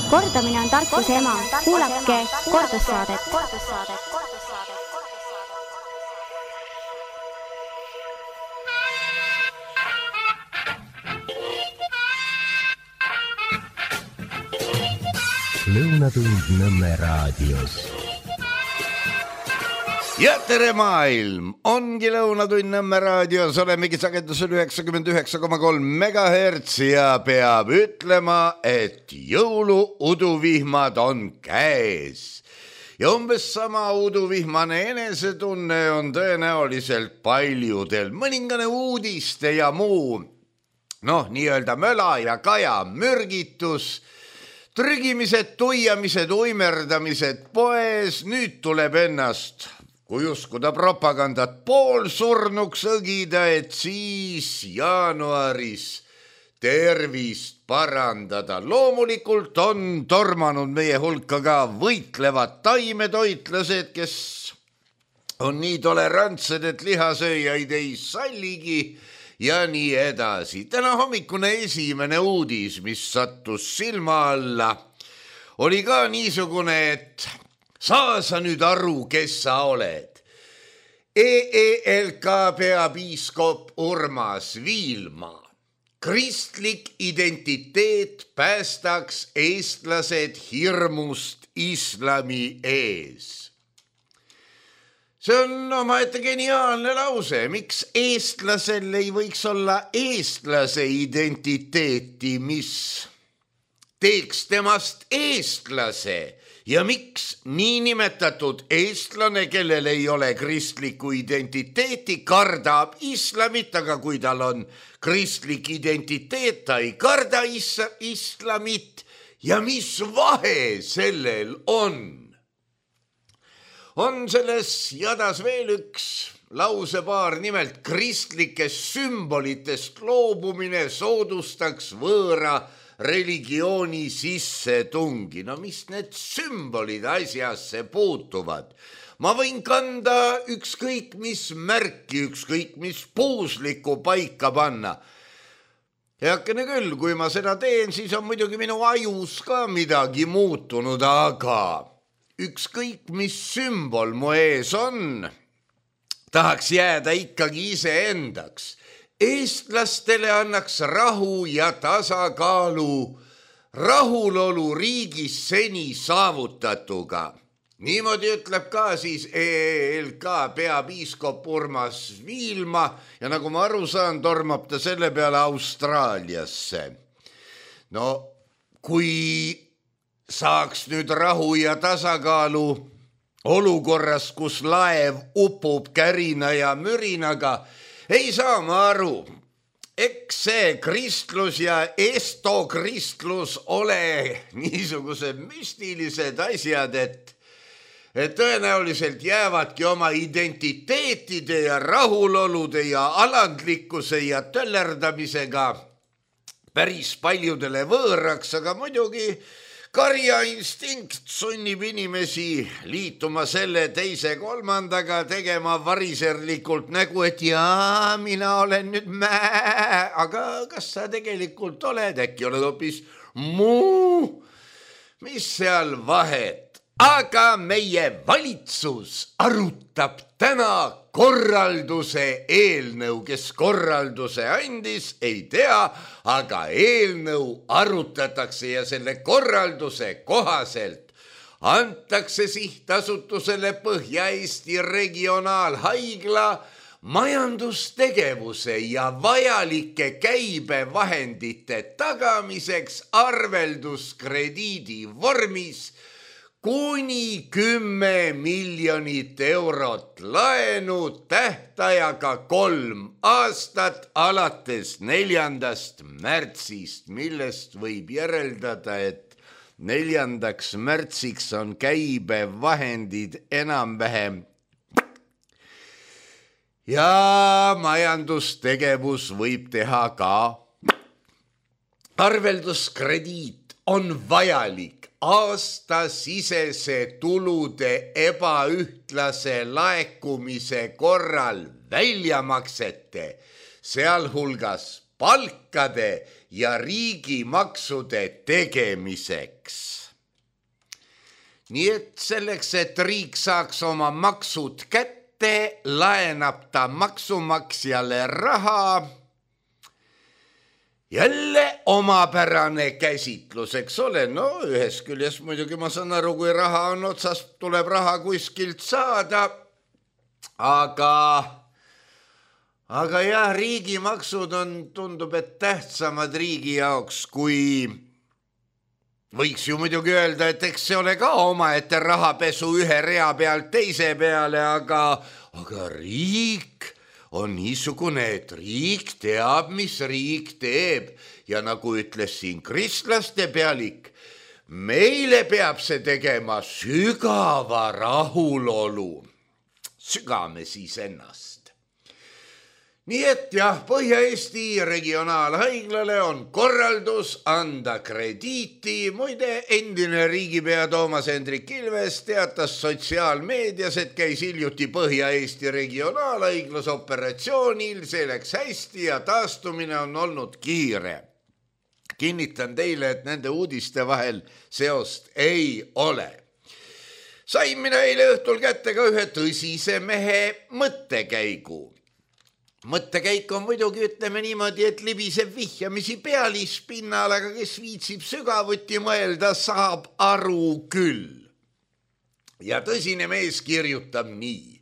Kordamine on tarkuse ema. Kuulake kordussaadet. Lõunatund Nõmme raadios. Ja tere maailm, ongi Lõunatund Nõmme raadios, olemegi sagedusel 99,3 MHz ja peab ütlema, et jõuluuduvihmad on käes. Ja umbes sama uduvihmane enesetunne on tõenäoliselt paljudel. Mõningane uudiste ja muu, nii-öelda möla ja kaja mürgitus, trügimised, tuiamised, uimerdamised poes, nüüd tuleb ennast, kui uskuda propagandat, poolsurnuks õgida, et siis jaanuaris tervist parandada. Loomulikult on tormanud meie hulka ka võitlevad taimetoitlased, kes on nii tolerantsed, et lihasööjaid ei salligi, ja nii edasi. Täna hommikune esimene uudis, mis sattus silma alla, oli ka niisugune, et saa sa nüüd aru, kes sa oled. EELK peapiiskop Urmas Viilma. Kristlik identiteet päästaks eestlased hirmust islami ees. See on omaette geniaalne lause. Miks eestlasel ei võiks olla eestlase identiteeti, mis teeks temast eestlase? Ja miks niinimetatud eestlane, kellel ei ole kristlikku identiteeti, kardab islamit, aga kui tal on kristlik identiteet, ta ei karda islamit? Ja mis vahe sellel on? On selles jadas veel üks lausepaar, nimelt kristlikest sümbolitest loobumine soodustaks võõra religiooni sissetungi. Mis need sümbolid asjasse puutuvad? Ma võin kanda ükskõik mis märki, ükskõik mis puuslikku paika panna. Heakene küll, kui ma seda teen, siis on muidugi minu ajus ka midagi muutunud, aga ükskõik mis sümbol mu ees on, tahaks jääda ikkagi iseendaks. Eestlastele annaks rahu ja tasakaalu, rahulolu riigis seni saavutatuga. Niimoodi ütleb ka siis EELK peapiiskop Urmas Viilma ja nagu ma aru saan, tormab ta selle peale Austraaliasse. Kui saaks nüüd rahu ja tasakaalu olukorras, kus laev upub kärina ja mürinaga, ei saa ma aru. Eks see kristlus ja estokristlus ole niisugused müstilised asjad, et tõenäoliselt jäävadki oma identiteetide ja rahulolude ja alandlikkuse ja töllerdamisega päris paljudele võõraks, aga muidugi karja instinkt sunnib inimesi liituma selle, teise, kolmandaga, tegema variserlikult nägu, et jaa, mina olen nüüd aga kas sa tegelikult oled, äkki oled hoopis muu, mis seal vahet? Aga meie valitsus arutab täna korralduse eelnõu, kes korralduse andis, ei tea, aga eelnõu arutatakse ja selle korralduse kohaselt antakse sihtasutusele Põhja-Eesti regionaalhaigla majandustegevuse ja vajalike käibevahendite tagamiseks arvelduskrediidi vormis kuni 10 miljonit eurot laenu tähtajaga 3 aastat alates 4. märtsist, millest võib järeldada, et 4. märtsiks on käibevahendid enam-vähem ja majandustegevus võib teha ka. Arvelduskrediit on vajalik aastasisese tulude ebaühtlase laekumise korral väljamaksete, sealhulgas palkade ja riigimaksude tegemiseks. Nii et selleks, et riik saaks oma maksud kätte, laenab ta maksumaksjale raha. Jälle omapärane käsitlus, eks ole, no ühes küljes muidugi ma saan aru, kui raha on otsas, tuleb raha kuskilt saada, aga jah, riigimaksud on, tundub, et tähtsamad riigi jaoks, kui võiks ju muidugi öelda, et eks see ole ka omaette rahapesu ühe rea pealt teise peale, aga riik on niisugune, et riik teab, mis riik teeb ja nagu ütles siin kristlaste pealik, meile peab see tegema sügava rahulolu. Sügame siis ennast. Nii et jah, Põhja-Eesti regionaalhaiglale on korraldus anda krediiti. Muide, endine riigipea Toomas Hendrik Ilves teatas sotsiaalmeedias, et käis hiljuti Põhja-Eesti regionaalhaiglas operatsioonil, see läks hästi ja taastumine on olnud kiire. Kinnitan teile, et nende uudiste vahel seost ei ole. Sain mina eile õhtul kätte ka ühe tõsise mehe mõttekäigu. Mõttekäik on muidugi, ütleme niimoodi, et libiseb vihjamisi pealispinnal, aga kes viitsib sügavuti mõelda, saab aru küll. Ja tõsine mees kirjutab nii.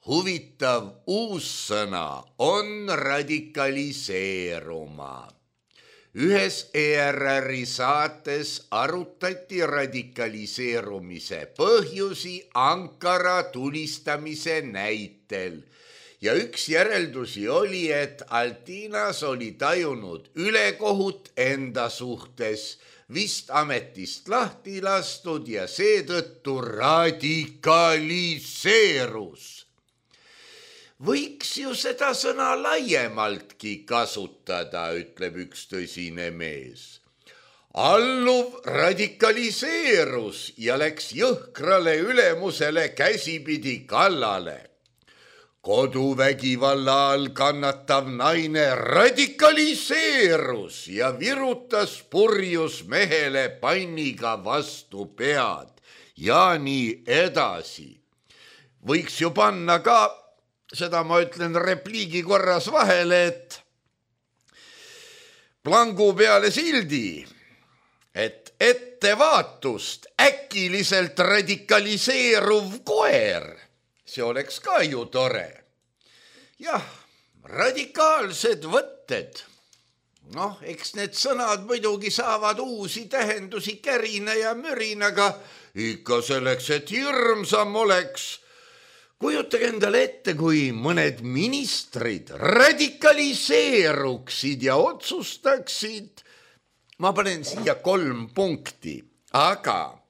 Huvitav uus sõna on radikaliseeruma. Ühes ERR-i saates arutati radikaliseerumise põhjusi Ankara tulistamise näitel. Ja üks järeldusi oli, et Altinas oli tajunud ülekohut enda suhtes, vist ametist lahti lastud ja seetõttu radikaliseerus. Võiks ju seda sõna laiemaltki kasutada, ütleb üks tõsine mees. Alluv radikaliseerus ja läks jõhkrale ülemusele käsipidi kallale. Koduvägivalla all kannatav naine radikaliseerus ja virutas purjus mehele panniga vastu pead ja nii edasi. Võiks ju panna ka, seda ma ütlen repliigi korras vahele, et plangu peale sildi, et ettevaatust äkiliselt radikaliseeruv koer. See oleks ka ju tore. Jah, radikaalsed võtted. Noh, eks need sõnad muidugi saavad uusi tähendusi kärina ja mürinaga, ikka selleks, et hirmsam oleks. Kujutage endale ette, kui mõned ministrid radikaliseeruksid ja otsustaksid. Ma panen siia 3 punkti, aga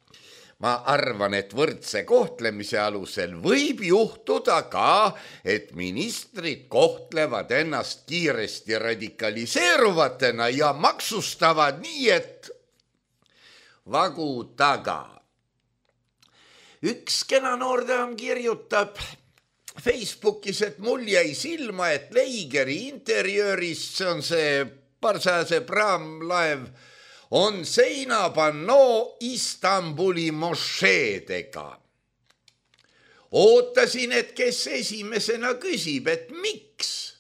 ma arvan, et võrdse kohtlemise alusel võib juhtuda ka, et ministrid kohtlevad ennast kiiresti radikaliseeruvatena ja maksustavad nii, et vagu taga. Üks kena noordaam kirjutab Facebookis, et mul jäi silma, et Leigeri interjöörist, see on see parsase praamlaev, on seinapannoo Istanbuli mošeedega. Ootasin, et kes esimesena küsib, et miks?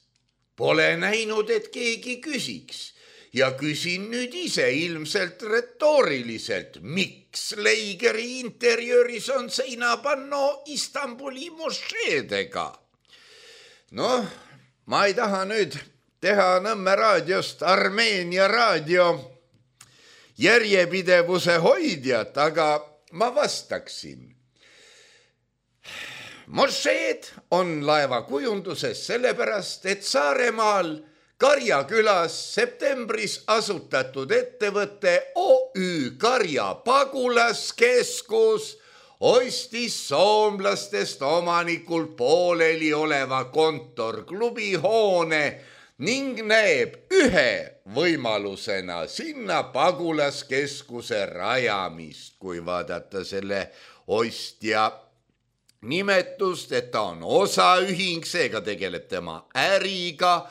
Pole näinud, et keegi küsiks. Ja küsin nüüd ise ilmselt retooriliselt, miks Leigeri interjööris on seinapannoo Istanbuli mošeedega? Noh, ma ei taha nüüd teha Nõmme raadiost Armeenia raadio järjepidevuse hoidjat, aga ma vastaksin. Mošeed on laeva kujunduses sellepärast, et Saaremaal Karjakülas septembris asutatud ettevõtte OÜ Karja pagulaskeskus ostis soomlastest omanikult pooleli oleva kontorklubi hoone ning näeb ühe võimalusena sinna pagulaskeskuse rajamist, kui vaadata selle ostja nimetust, et ta on osaühing, seega tegeleb tema äriga.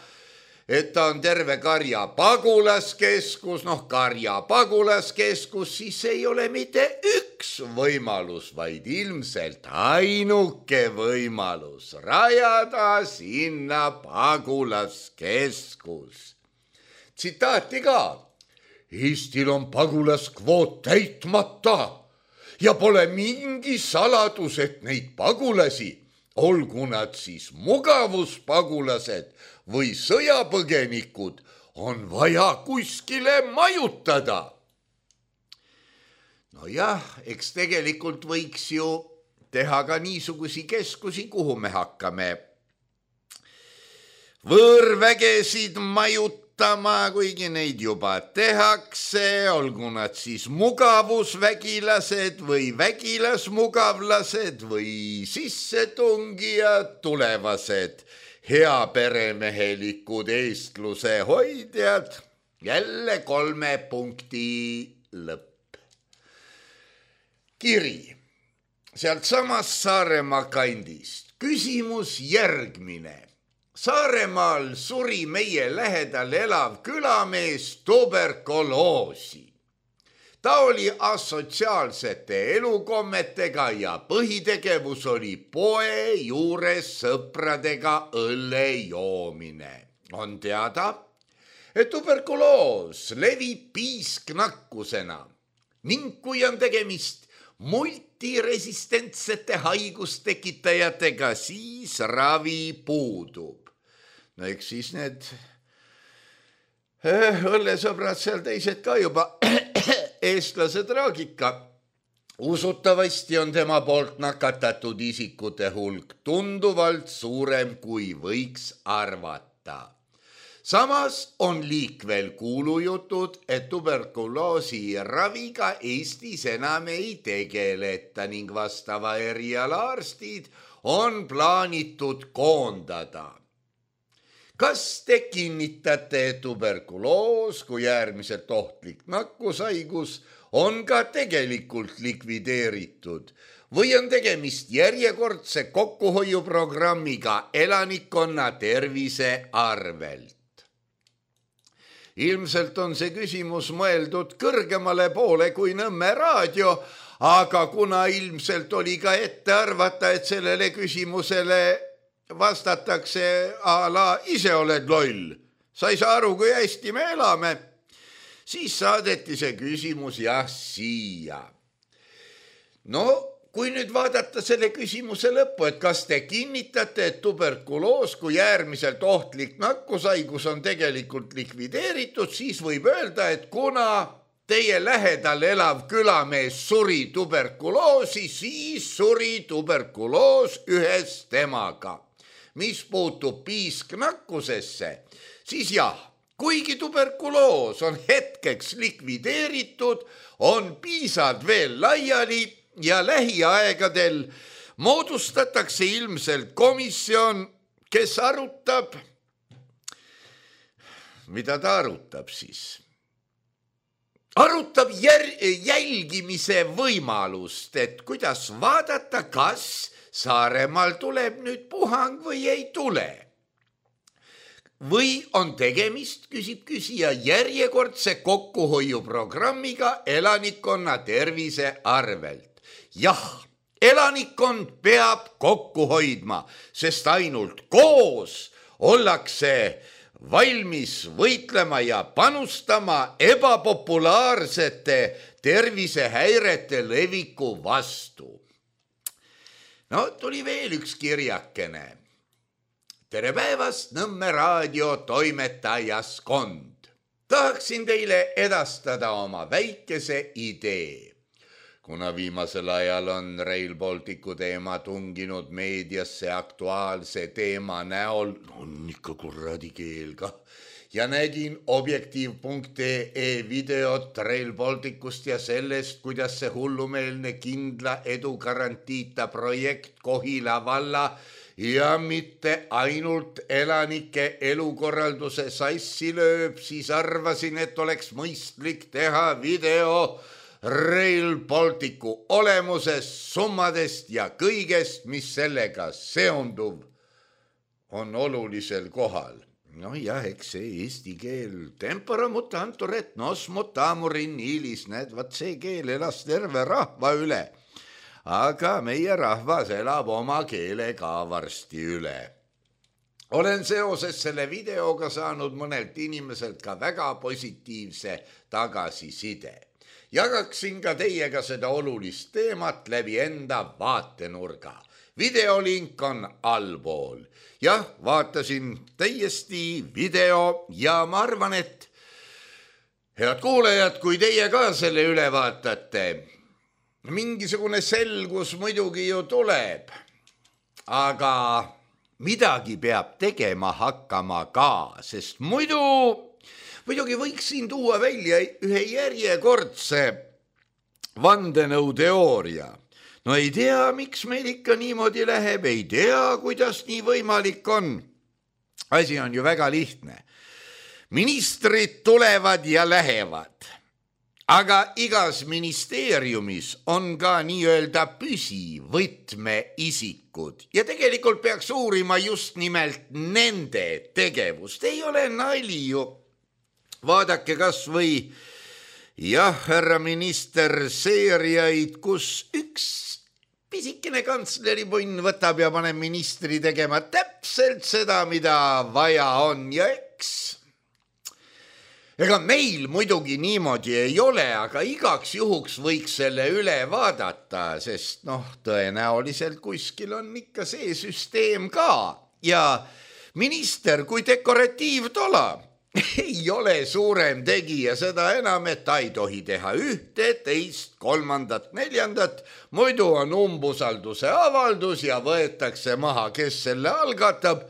et ta on terve karja pagulaskeskus, karja pagulaskeskus, siis ei ole mitte üks võimalus, vaid ilmselt ainuke võimalus rajada sinna pagulaskeskus. Tsitaati ka. Eestil on pagulaskvoot täitmata ja pole mingi saladus, et neid pagulasi, olgu nad siis mugavuspagulased või sõjapõgenikud, on vaja kuskile majutada. Nojah, eks tegelikult võiks ju teha ka niisugusi keskusi, kuhu me hakkame võõrvägesid majutama, kuigi neid juba tehakse, olgu nad siis mugavusvägilased või vägilasmugavlased või sissetungijad, tulevased heaperemehelikud eestluse hoidjad. Jälle 3 punkti lõpp. Kiri sealt samast Saaremaa kandist. Küsimus järgmine. Saaremaal suri meie lähedal elav külamees tuberkuloosi. Ta oli asotsiaalsete elukommetega ja põhitegevus oli poe juures sõpradega õlle joomine. On teada, et tuberkuloos levib piisknakkusena ning kui on tegemist multiresistentsete haigustekitajatega, siis ravi puudub. No eks siis need õllesõbrad seal teised ka juba eestlase traagika. Usutavasti on tema poolt nakatatud isikute hulk tunduvalt suurem, kui võiks arvata. Samas on liikvel kuulujutud, et tuberkuloosi raviga Eestis enam ei tegeleta ning vastava eriala arstid on plaanitud koondada. Kas te kinnitate, et tuberkuloos kui äärmiselt ohtlik nakkushaigus on ka tegelikult likvideeritud või on tegemist järjekordse kokkuhoiuprogrammiga elanikkonna tervise arvelt? Ilmselt on see küsimus mõeldud kõrgemale poole kui Nõmme raadio, aga kuna ilmselt oli ka ette arvata, et sellele küsimusele vastatakse a la ise oled loll, sa ei saa aru, kui hästi me elame, siis saadeti see küsimus jah siia. No, kui nüüd vaadata selle küsimuse lõppu, et kas te kinnitate, et tuberkuloos kui äärmiselt ohtlik nakkushaigus on tegelikult likvideeritud, siis võib öelda, et kuna teie lähedal elav külamees suri tuberkuloosi, siis suri tuberkuloos ühes temaga. Mis puutub piisknakkusesse, siis jah, kuigi tuberkuloos on hetkeks likvideeritud, on piisad veel laiali ja lähiaegadel moodustatakse ilmselt komisjon, kes arutab, mida ta arutab siis? Arutab jälgimise võimalust, et kuidas vaadata, kas Saaremaal tuleb nüüd puhang või ei tule. Või on tegemist, küsib küsija, järjekordse kokkuhoiuprogrammiga elanikkonna tervise arvelt. Jah, elanikkond peab kokku hoidma, sest ainult koos ollakse valmis võitlema ja panustama ebapopulaarsete tervisehäirete leviku vastu. No, tuli veel üks kirjakene. Tere päevast, Nõmme raadio toimetajaskond. Tahaksin teile edastada oma väikese idee. Kuna viimasel ajal on Rail Balticu teema tunginud meediasse aktuaalse teema näol, on ikka kuradi keel ka, ja nägin objektiiv.ee videot Rail Balticust ja sellest, kuidas see hullumeelne kindla edu garantiita projekt Kohila valla ja mitte ainult elanike elukorralduse sassi lööb, siis arvasin, et oleks mõistlik teha video Rail Balticu olemusest, summadest ja kõigest, mis sellega seonduv on olulisel kohal. no jah, eks see eesti keel, tempora mutantur et nos mutamurin ilis, näed, vaat see keel elas terve rahva üle. Aga meie rahvas elab oma keele ka varsti üle. Olen seoses selle videoga saanud mõnelt inimeselt ka väga positiivse tagasiside. Jagaksin ka teiega seda olulist teemat läbi enda vaatenurga. Videolink on allpool. Jah, vaatasin täiesti video ja ma arvan, et head kuulajad, kui teie ka selle üle vaatate, mingisugune selgus muidugi ju tuleb, aga midagi peab tegema hakkama ka, sest muidugi võiks siin tuua välja ühe järjekordse vandenõuteooria. No ei tea, miks meil ikka niimoodi läheb, ei tea, kuidas nii võimalik on. Asi on ju väga lihtne. Ministrid tulevad ja lähevad, aga igas ministeeriumis on ka nii-öelda püsivõtmeisikud ja tegelikult peaks uurima just nimelt nende tegevust. Ei ole nali ju. Vaadake kas või, jah, härra minister, seeriaid, kus üks pisikene kansleripunn võtab ja paneb ministri tegema täpselt seda, mida vaja on ja ega meil muidugi niimoodi ei ole, aga igaks juhuks võiks selle üle vaadata, sest tõenäoliselt kuskil on ikka see süsteem ka ja minister kui dekoratiivtola ei ole suurem tegija, seda enam, et ta ei tohi teha ühte, teist, kolmandat, neljandat, muidu on umbusalduse avaldus ja võetakse maha, kes selle algatab.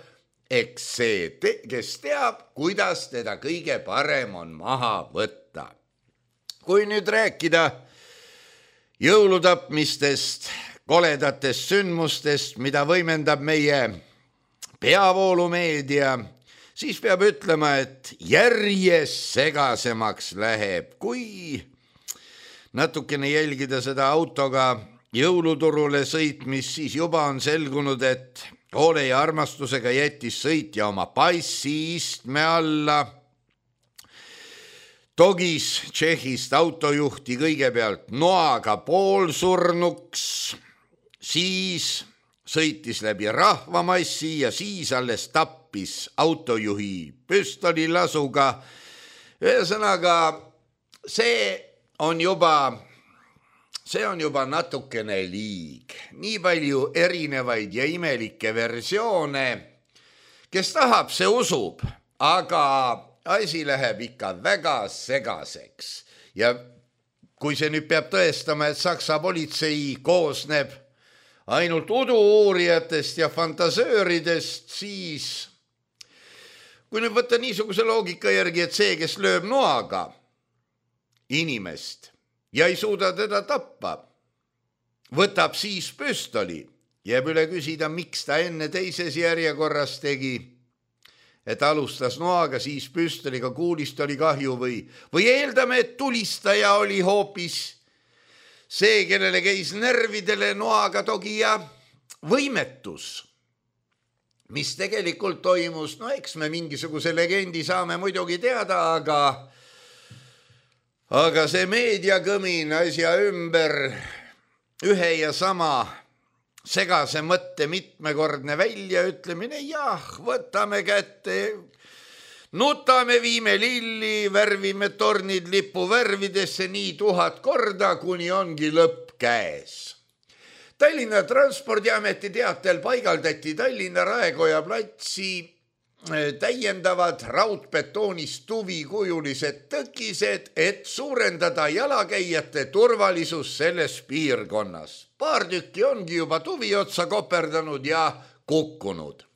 Eks see, kes teab, kuidas teda kõige parem on maha võtta. Kui nüüd rääkida jõulutapmistest, koledatest sündmustest, mida võimendab meie peavoolumeedia, siis peab ütlema, et järjest segasemaks läheb. Kui natukene jälgida seda autoga jõuluturule sõitmist, siis juba on selgunud, et hoole ja armastusega jättis sõitja oma passi istme alla. Togis Tšehhist autojuhti kõigepealt noaga poolsurnuks, siis sõitis läbi rahvamassi ja siis alles tappis autojuhi püstolilasuga. Ühesõnaga, see on juba natukene liig. Nii palju erinevaid ja imelikke versioone. Kes tahab, see usub, aga asi läheb ikka väga segaseks. Ja kui see nüüd peab tõestama, et Saksa politsei koosneb ainult udu-uurijatest ja fantasööridest, siis kui nüüd võtta niisuguse loogika järgi, et see, kes lööb noaga inimest ja ei suuda teda tappa, võtab siis püstoli, jääb üle küsida, miks ta enne teises järjekorras tegi, et alustas noaga, siis püstoliga, kuulist oli kahju või eeldame, et tulistaja oli hoopis see, kellele käis nervidele noaga togija võimetus. Mis tegelikult toimus, eks me mingisuguse legendi saame muidugi teada, aga see meediakõmin asja ümber ühe ja sama segase mõtte mitmekordne väljaütlemine, jah, võtame kätte, nutame, viime lilli, värvime tornid lipuvärvidesse nii 1000 korda, kuni ongi lõpp käes. Tallinna Transpordiameti teatel paigaldati Tallinna Raekoja platsi täiendavad raudbetoonist tuvikujulised tõkised, et suurendada jalakäijate turvalisus selles piirkonnas. Paar tükki ongi juba tuvi otsa koperdanud ja kukkunud.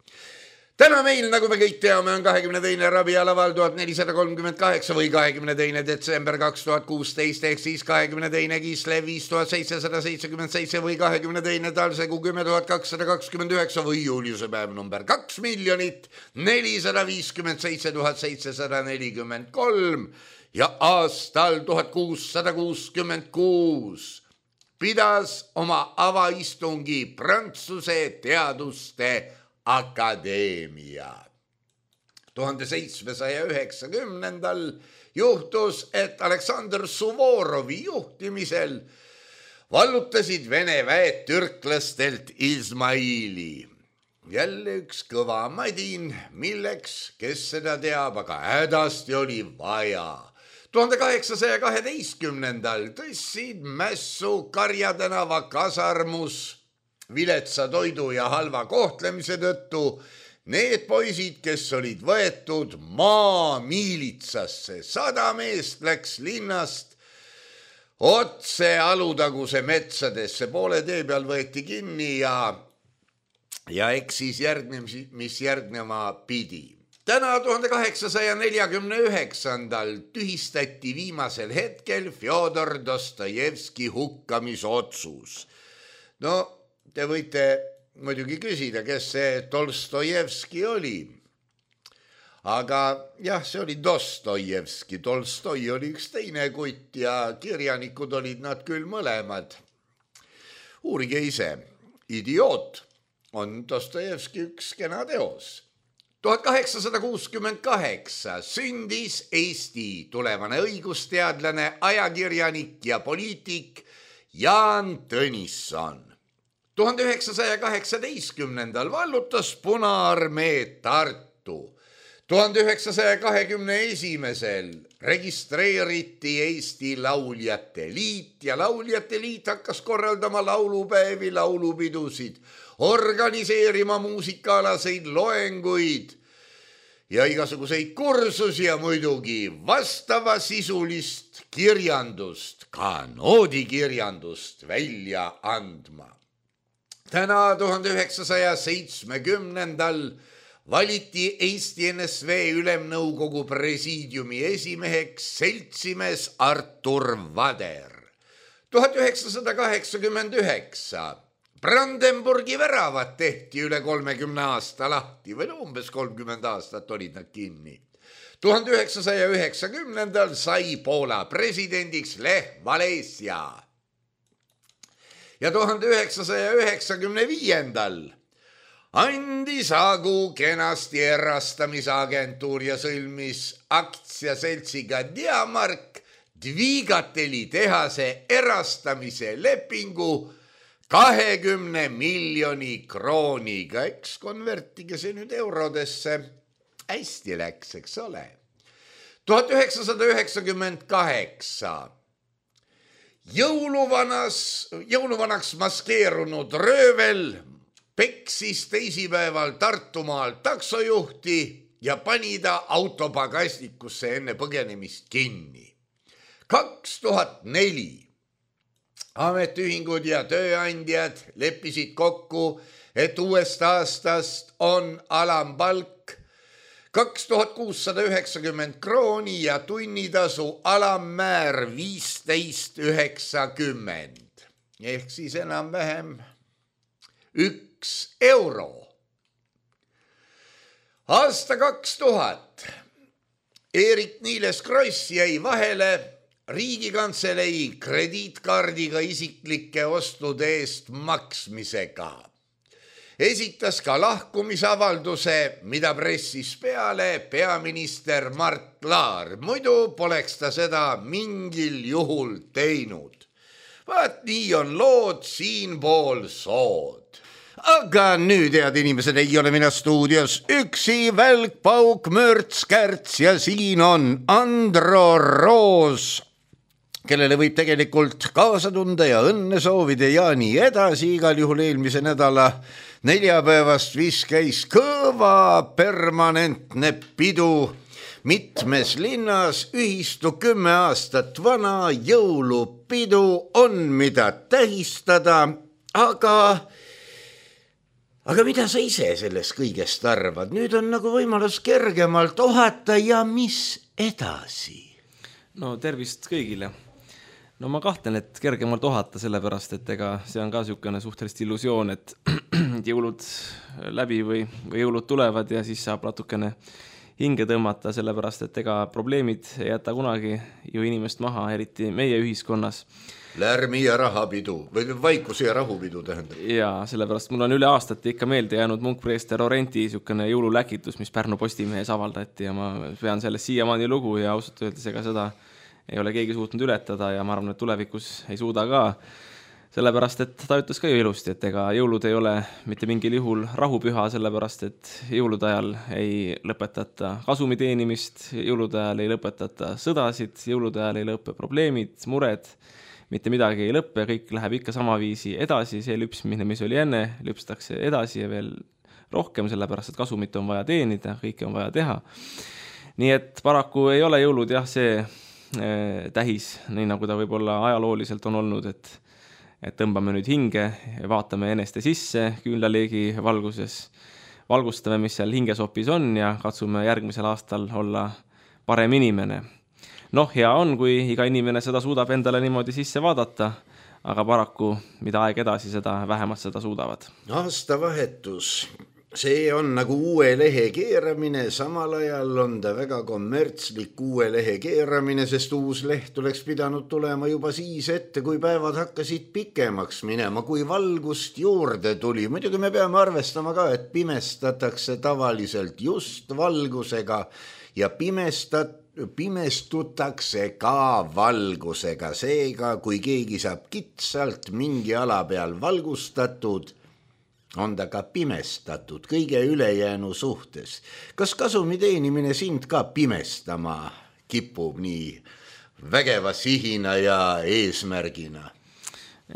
Täna meil, nagu me kõik teame, on 22. rabialaval 1438 või 22. detsember 2016 ehk siis 22. Kislev 5777 või 22. Talsegu 10229 või Juliuse päev number 2 457 743 ja aastal 1666 pidas oma avaistungi Prantsuse teaduste akadeemia. 1790. juhtus, et Aleksandr Suvorovi juhtimisel vallutasid Vene väed türklastelt Izmaili. Jälle üks kõva madin, milleks, kes seda teab, aga hädasti oli vaja. 1812. tõstsid mässu Karja tänava kasarmus viletsa toidu ja halva kohtlemise tõttu need poisid, kes olid võetud maamiilitsasse. 100 meest läks linnast otse Alutaguse metsadesse, poole tee peal võeti kinni ja eks siis mis järgnema pidi. Täna 1849. tühistati viimasel hetkel Fjodor Dostojevski hukkamisotsus. No, te võite muidugi küsida, kes see Tolstojevski oli. Aga jah, see oli Dostojevski. Tolstoi oli üks teine kutt ja kirjanikud olid nad küll mõlemad. Uurige ise. Idioot on Dostojevski üks kena teos. 1868 sündis Eesti tulevane õigusteadlane, ajakirjanik ja poliitik Jaan Tõnisson. 1918. vallutas Punaarmee Tartu. 1921. registreeriti Eesti Lauljate Liit ja Lauljate Liit hakkas korraldama laulupäevi, laulupidusid, organiseerima muusikaalaseid loenguid ja igasuguseid kursusi ja muidugi vastavasisulist kirjandust, ka noodikirjandust välja andma. Täna 1970. valiti Eesti NSV Ülemnõukogu presiidiumi esimeheks seltsimees Artur Vader. 1989 Brandenburgi väravad tehti üle 30 aasta lahti või umbes 30 aastat olid nad kinni. 1990. sai Poola presidendiks Lech Walesa. Ja 1995. andis Agu kenasti erastamisagentuur ja sõlmis aktsiaseltsiga Diamark Dvigateli tehase erastamise lepingu 20 miljoni krooniga. Eks konvertige see nüüd eurodesse. Hästi läks, eks ole. 1998 jõuluvanaks maskeerunud röövel peksis teisipäeval Tartumaal taksojuhti ja pani ta autopagastikusse enne põgenemist kinni. 2004 ametiühingud ja tööandjad leppisid kokku, et uuest aastast on alampalk 2690 krooni ja tunnitasu alammäär 15,90 ehk siis enam-vähem 1 euro. Aasta 2000 Eerik-Niiles Kross jäi vahele Riigikantselei krediitkaardiga isiklike ostude eest maksmisega. Esitas ka lahkumisavalduse, mida pressis peale peaminister Mart Laar. Muidu poleks ta seda mingil juhul teinud. Vaat nii on lood siinpool sood. Aga nüüd, head inimesed, ei ole mina stuudios üksi, Välk, Pauk, Mörts, Kärts ja siin on Andro Roos, kellele võib tegelikult kaasa tunda ja õnne soovida ja nii edasi. Igal juhul eelmise nädala neljapäevast vist käis kõva permanentne pidu mitmes linnas. Ühistu 10 aastat vana jõulupidu on, mida tähistada, aga mida sa ise sellest kõigest arvad? Nüüd on nagu võimalus kergemalt ohata ja mis edasi? No tervist kõigile. No ma kahtlen, et kergemalt ohata, sellepärast, et ega see on ka niisugune suhteliselt illusioon, et jõulud läbi või jõulud tulevad ja siis saab natukene hinge tõmmata, sellepärast, et ega probleemid ei jäta kunagi ju inimest maha, eriti meie ühiskonnas. Lärmi ja rahapidu või vaikuse ja rahupidu tähendab. Ja sellepärast mul on üle aastate ikka meelde jäänud munkpreester Orenti niisugune jõululäkitus, mis Pärnu Postimehes avaldati ja ma pean sellest siiamaani lugu ja ausalt öeldes ega seda ei ole keegi suutnud ületada ja ma arvan, et tulevikus ei suuda ka. Sellepärast, et ta ütles ka ju ilusti, et ega jõulud ei ole mitte mingil juhul rahupüha, sellepärast, et jõulude ajal ei lõpetata kasumi teenimist, jõulude ajal ei lõpetata sõdasid, jõulude ajal ei lõppe probleemid, mured, mitte midagi ei lõppe, kõik läheb ikka sama viisi edasi, see lüpsmine, mis oli enne, lüpstakse edasi ja veel rohkem, sellepärast, et kasumit on vaja teenida, kõike on vaja teha. Nii et paraku ei ole jõulud jah see tähis, nii nagu ta võib-olla ajalooliselt on olnud, et tõmbame nüüd hinge, vaatame eneste sisse küünlaleegi valguses, valgustame, mis seal hingesopis on ja katsume järgmisel aastal olla parem inimene. Noh, hea on, kui iga inimene seda suudab endale niimoodi sisse vaadata, aga paraku, mida aeg edasi, seda vähemalt seda suudavad. Aastavahetus. See on nagu uue lehe keeramine, samal ajal on ta väga kommertslik uue lehe keeramine, sest uus leht oleks pidanud tulema juba siis ette, kui päevad hakkasid pikemaks minema, kui valgust juurde tuli. Muidugi me peame arvestama ka, et pimestatakse tavaliselt just valgusega ja pimestutakse ka valgusega. Seega, kui keegi saab kitsalt mingi ala peal valgustatud, on ta ka pimestatud kõige ülejäänu suhtes. Kas kasumi teenimine sind ka pimestama kipub nii vägeva sihina ja eesmärgina?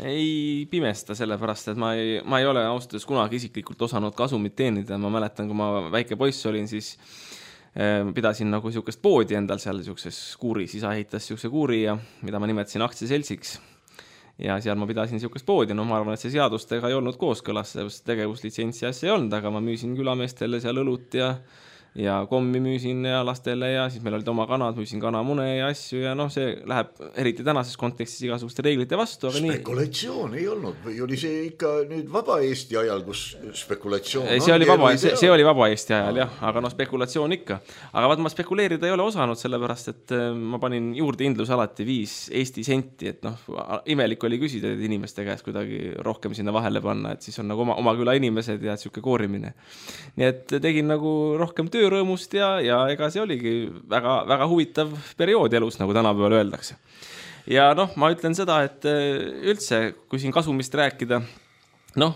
Ei pimesta, sellepärast, et ma ei ole austus kunagi isiklikult osanud kasumit teenida. Ma mäletan, kui ma väike poiss olin, siis pidasin nagu niisugust poodi endal seal niisuguses kuuris. Isa ehitas niisuguse kuuri, mida ma nimetasin aktsiaseltsiks. Ja seal ma pidasin niisugust poodi, ma arvan, et see seadustega ei olnud kooskõlas, tegevuslitsentsi asja ei olnud, aga ma müüsin külameestele seal õlut ja kommi müüsin ja lastele ja siis meil olid oma kanad, müüsin kanamune ja asju ja see läheb eriti tänases kontekstis igasuguste reeglite vastu. Aga spekulatsioon ei olnud või oli see ikka nüüd Vaba Eesti ajal, kus spekulatsioon see oli Vaba Eesti ajal jah, aga spekulatsioon ikka. Aga ma spekuleerida ei ole osanud, sellepärast, et ma panin juurde indlus alati 5 Eesti senti, et imelik oli küsida inimeste käest kuidagi rohkem sinna vahele panna, et siis on nagu oma küla inimesed ja siuke koorimine. Nii et tegin nagu rohkem töörõõmust ja ega see oligi väga, väga huvitav periood elus, nagu tänapäeval öeldakse. Ja ma ütlen seda, et üldse, kui siin kasumist rääkida,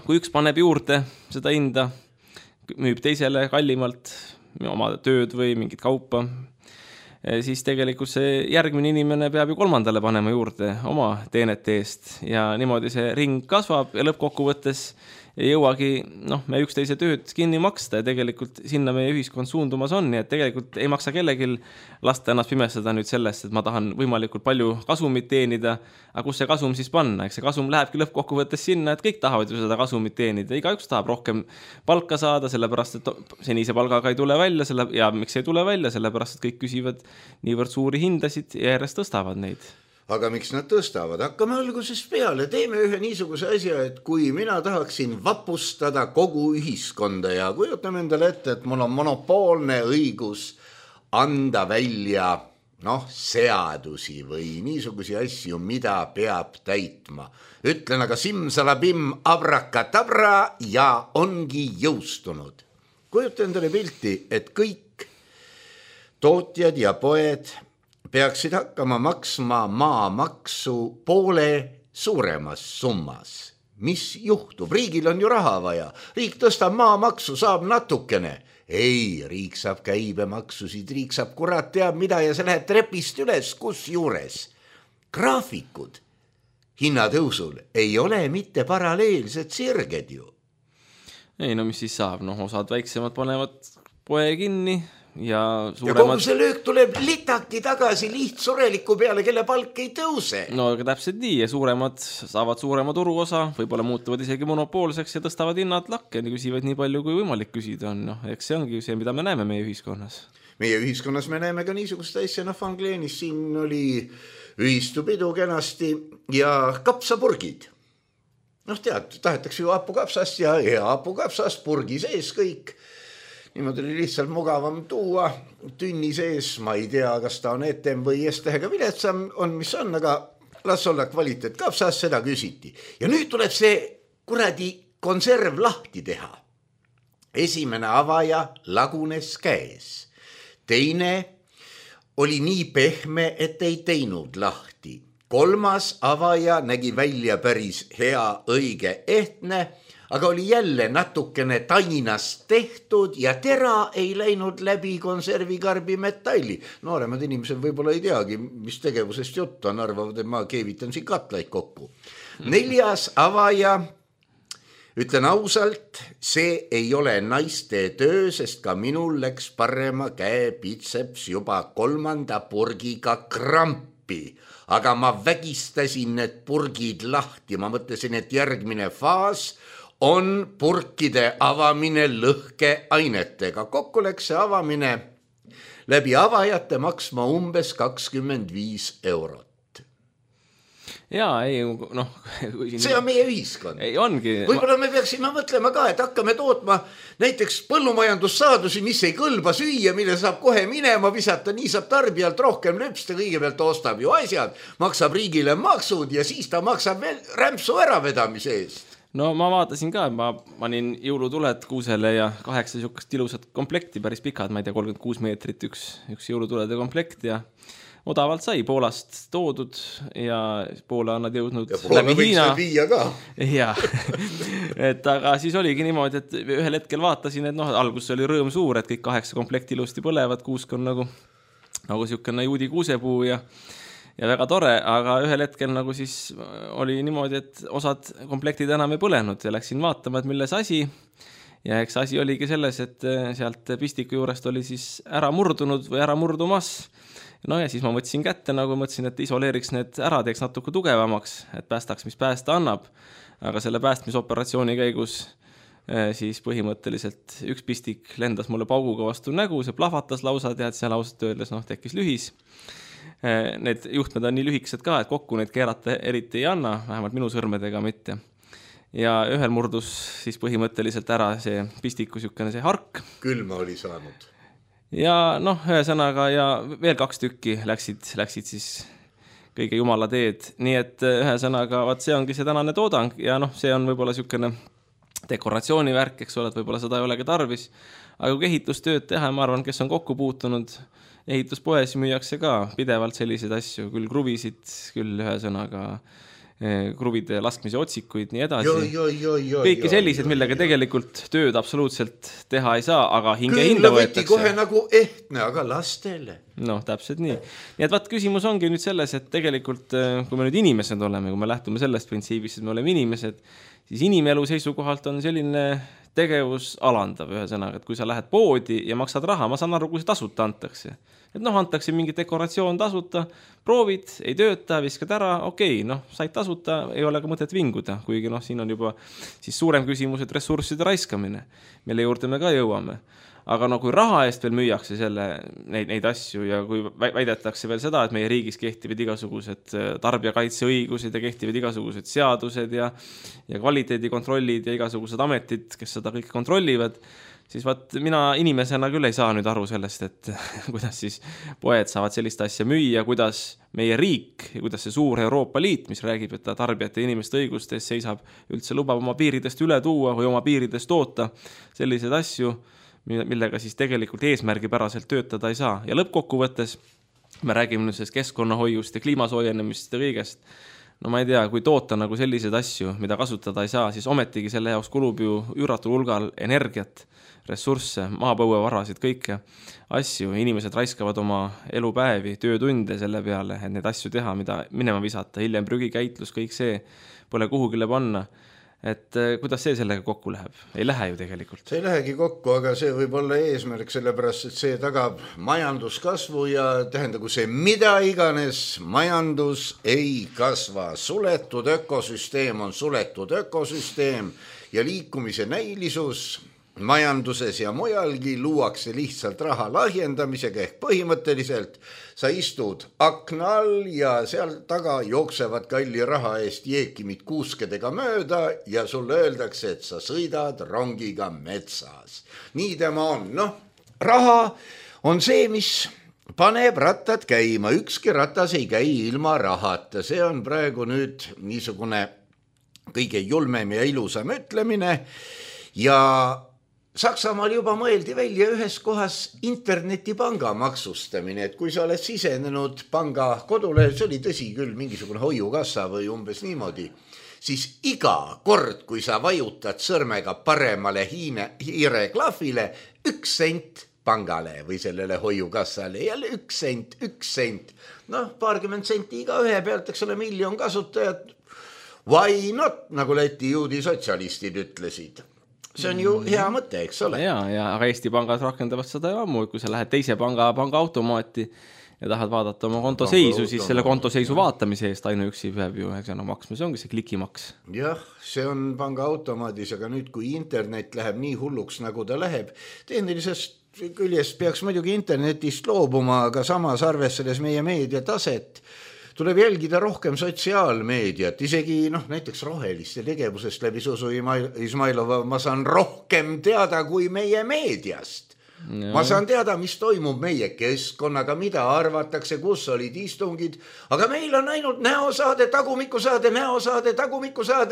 kui üks paneb juurde seda hinda, müüb teisele kallimalt oma tööd või mingit kaupa, siis tegelikult see järgmine inimene peab ju kolmandale panema juurde oma teenete eest ja niimoodi see ring kasvab ja lõppkokkuvõttes ei jõuagi me üksteise tööd kinni maksta ja tegelikult sinna meie ühiskond suundumas on, nii et tegelikult ei maksa kellegil lasta ennast pimestada nüüd sellest, et ma tahan võimalikult palju kasumit teenida, aga kus see kasum siis panna? Eks see kasum lähebki lõppkokkuvõttes sinna, et kõik tahavad ju seda kasumit teenida, igaüks tahab rohkem palka saada, sellepärast, et senise palgaga ei tule välja ja miks ei tule välja, sellepärast, et kõik küsivad niivõrd suuri hindasid ja järjest tõstavad neid. Aga miks nad tõstavad? Hakkame algusest peale. Teeme ühe niisuguse asja, et kui mina tahaksin vapustada kogu ühiskonda ja kujutame endale ette, et mul on monopoolne õigus anda välja seadusi või niisugusi asju, mida peab täitma. Ütlen aga simsalabim abrakatabra ja ongi jõustunud. Kujuta endale pilti, et kõik tootjad ja poed peaksid hakkama maksma maamaksu poole suuremas summas. Mis juhtub? Riigil on ju raha vaja. Riik tõstab maamaksu, saab natukene. Ei, riik saab käibemaksusid, riik saab kurat teab mida ja see läheb trepist üles, kus juures. Graafikud hinnatõusul ei ole mitte paralleelsed sirged ju. Ei, mis siis saab? Osad väiksemad panevad poe kinni ja kogu see löök tuleb litaki tagasi lihtsureliku peale, kelle palk ei tõuse. Aga täpselt nii ja suuremad saavad suurema turuosa, võib-olla muutuvad isegi monopoolseks ja tõstavad hinnad lakke ja küsivad nii palju, kui võimalik küsida on. Eks see ongi see, mida me näeme meie ühiskonnas. Meie ühiskonnas me näeme ka niisugust asja, Fangleenis siin oli ühistupidu kenasti ja kapsapurgid. Tead, tahetakse ju hapukapsast ja hapukapsast purgi sees kõik. niimoodi oli lihtsalt mugavam tuua tünni sees, ma ei tea, kas ta on etem või S-tähega viletsam on, mis on, aga las olla kvaliteet kapsas, seda küsiti. Ja nüüd tuleb see kuradi konserv lahti teha. Esimene avaja lagunes käes. Teine oli nii pehme, et ei teinud lahti. Kolmas avaja nägi välja päris hea, õige, ehtne, aga oli jälle natukene tainast tehtud ja tera ei läinud läbi konservikarbi metalli. Nooremad inimesed võib-olla ei teagi, mis tegevusest juttu on, arvavad, et ma keevitan siin katlaid kokku. Neljas avaja, ütlen ausalt, see ei ole naiste töö, sest ka minul läks parema käe bitseps juba 3. purgiga krampi. Aga ma vägistasin need purgid lahti, ma mõtlesin, et järgmine faas on purkide avamine lõhkeainetega. Kokku läks see avamine läbi avajate maksma umbes 25 €. Jaa, ei, see on meie ühiskond. Ei, ongi. Võib-olla me peaksime mõtlema ka, et hakkame tootma näiteks põllumajandussaadusi, mis ei kõlba süüa, mille saab kohe minema visata, nii saab tarbijalt rohkem löpsta, kõigepealt ostab ju asjad, maksab riigile maksud ja siis ta maksab veel rämpsu äravedamise eest. No ma vaatasin ka, ma panin jõulutuled kuusele ja 8 sihukest ilusat komplekti, päris pikad, ma ei tea, 36 meetrit üks jõulutulede komplekt ja odavalt sai Poolast toodud ja Poola on nad jõudnud läbi Hiina. Ja, et aga siis oligi niimoodi, et ühel hetkel vaatasin, et alguses oli rõõm suur, et kõik 8 komplekti ilusti põlevad, kuusk on nagu sihukene juudi kuusepuu ja väga tore, aga ühel hetkel nagu siis oli niimoodi, et osad komplektid enam ei põlenud ja läksin vaatama, et milles asi. Ja eks asi oligi selles, et sealt pistiku juurest oli siis ära murdunud või ära murdumas. No ja siis ma mõtlesin kätte, nagu mõtlesin, et isoleeriks need ära, teeks natuke tugevamaks, et päästaks, mis päästa annab. Aga selle päästmisoperatsiooni käigus siis põhimõtteliselt üks pistik lendas mulle pauguga vastu nägu, see plahvatas lausa, tead, seal ausalt öeldes tekkis lühis. Need juhtmed on nii lühikesed ka, et kokku neid keerata eriti ei anna, vähemalt minu sõrmedega mitte. Ja ühel murdus siis põhimõtteliselt ära see pistiku sihukene see hark. Külma oli saanud. Ja ühesõnaga ja veel 2 tükki läksid siis kõige jumala teed. Nii et ühesõnaga, see ongi see tänane toodang ja see on võib-olla sihukene dekoratsioonivärk, eks ole, et võib-olla seda ei olegi tarvis. Aga kui ehitustööd teha, ma arvan, kes on kokku puutunud, ehituspoes müüakse ka pidevalt selliseid asju, küll kruvisid, küll ühesõnaga kruvide laskmise otsikuid, nii edasi. Kõiki sellised, millega tegelikult tööd absoluutselt teha ei saa, aga hinda võetakse. Kohe nagu ehtne, aga lastele. Täpselt nii. Nii et küsimus ongi nüüd selles, et tegelikult, kui me nüüd inimesed oleme, kui me lähtume sellest printsiibist, et me oleme inimesed, siis inimelu seisukohalt on selline tegevus alandav ühesõnaga, et kui sa lähed poodi ja maksad raha, ma saan aru, kui see tasuta antakse. Et antakse mingi dekoratsioon tasuta, proovid, ei tööta, viskad ära, okei, said tasuta, ei ole ka mõtet vinguda, kuigi siin on juba siis suurem küsimus, et ressursside raiskamine, mille juurde me ka jõuame. Aga kui raha eest veel müüakse neid asju ja kui väidetakse veel seda, et meie riigis kehtivad igasugused tarbijakaitseõigused ja kehtivad igasugused seadused ja kvaliteedikontrollid ja igasugused ametid, kes seda kõik kontrollivad, siis mina inimesena küll ei saa nüüd aru sellest, et kuidas siis poed saavad sellist asja müüa, kuidas meie riik ja kuidas see suur Euroopa Liit, mis räägib, et ta tarbijate ja inimeste õigustes seisab, üldse lubab oma piiridest üle tuua või oma piiridest toota selliseid asju, millega siis tegelikult eesmärgipäraselt töötada ei saa. Ja lõppkokkuvõttes me räägime nüüd sellest keskkonnahoiust ja kliimasoojenemist ja kõigest. Ma ei tea, kui toota nagu selliseid asju, mida kasutada ei saa, siis ometigi selle jaoks kulub ju üüratul hulgal energiat, ressursse, maapõuevarasid, kõike asju. Inimesed raiskavad oma elupäevi, töötunde selle peale, et neid asju teha, mida minema visata, hiljem prügikäitlus, kõik see pole kuhugile panna. Et kuidas see sellega kokku läheb? Ei lähe ju tegelikult. See ei lähegi kokku, aga see võib olla eesmärk, sellepärast, et see tagab majanduskasvu ja tähendagu see mida iganes, majandus ei kasva. Suletud ökosüsteem on suletud ökosüsteem ja liikumise näilisus majanduses ja mujalgi luuakse lihtsalt raha lahjendamisega ehk põhimõtteliselt sa istud akna all ja seal taga jooksevad kalli raha eest jeekimid kuuskedega mööda ja sulle öeldakse, et sa sõidad rongiga metsas. Nii tema on. Raha on see, mis paneb rattad käima. Ükski ratas ei käi ilma rahata. See on praegu nüüd niisugune kõige julmem ja ilusam ütlemine ja Saksamaal juba mõeldi välja ühes kohas internetipanga maksustamine, et kui sa oled sisenenud panga kodule, see oli tõsi küll mingisugune hoiukassa või umbes niimoodi, siis iga kord, kui sa vajutad sõrmega paremale hiireklahvile, 1 sent pangale või sellele hoiukassale, jälle 1 sent. Paarkümmend senti iga ühe pealt, eks ole, 1 miljon kasutajat. Why not, nagu Läti juudi sotsialistid ütlesid. See on ju hea mõte, eks ole? Aga Eesti pangad rakendavad seda ju ammu, kui sa lähed teise panga automaati ja tahad vaadata oma kontoseisu, siis selle kontoseisu vaatamise eest ainuüksi peab ju maksma, see ongi see klikimaks. Jah, see on panga automaadis, aga nüüd kui internet läheb nii hulluks, nagu ta läheb, tehnilisest küljest peaks muidugi internetist loobuma, aga samas arvestades meie meediataset, tuleb jälgida rohkem sotsiaalmeediat, isegi näiteks roheliste tegevusest läbi Susu Izmailova ma saan rohkem teada kui meie meediast. Ja. Ma saan teada, mis toimub meie keskkonnaga, mida arvatakse, kus olid istungid, aga meil on ainult näosaade, tagumikusaade,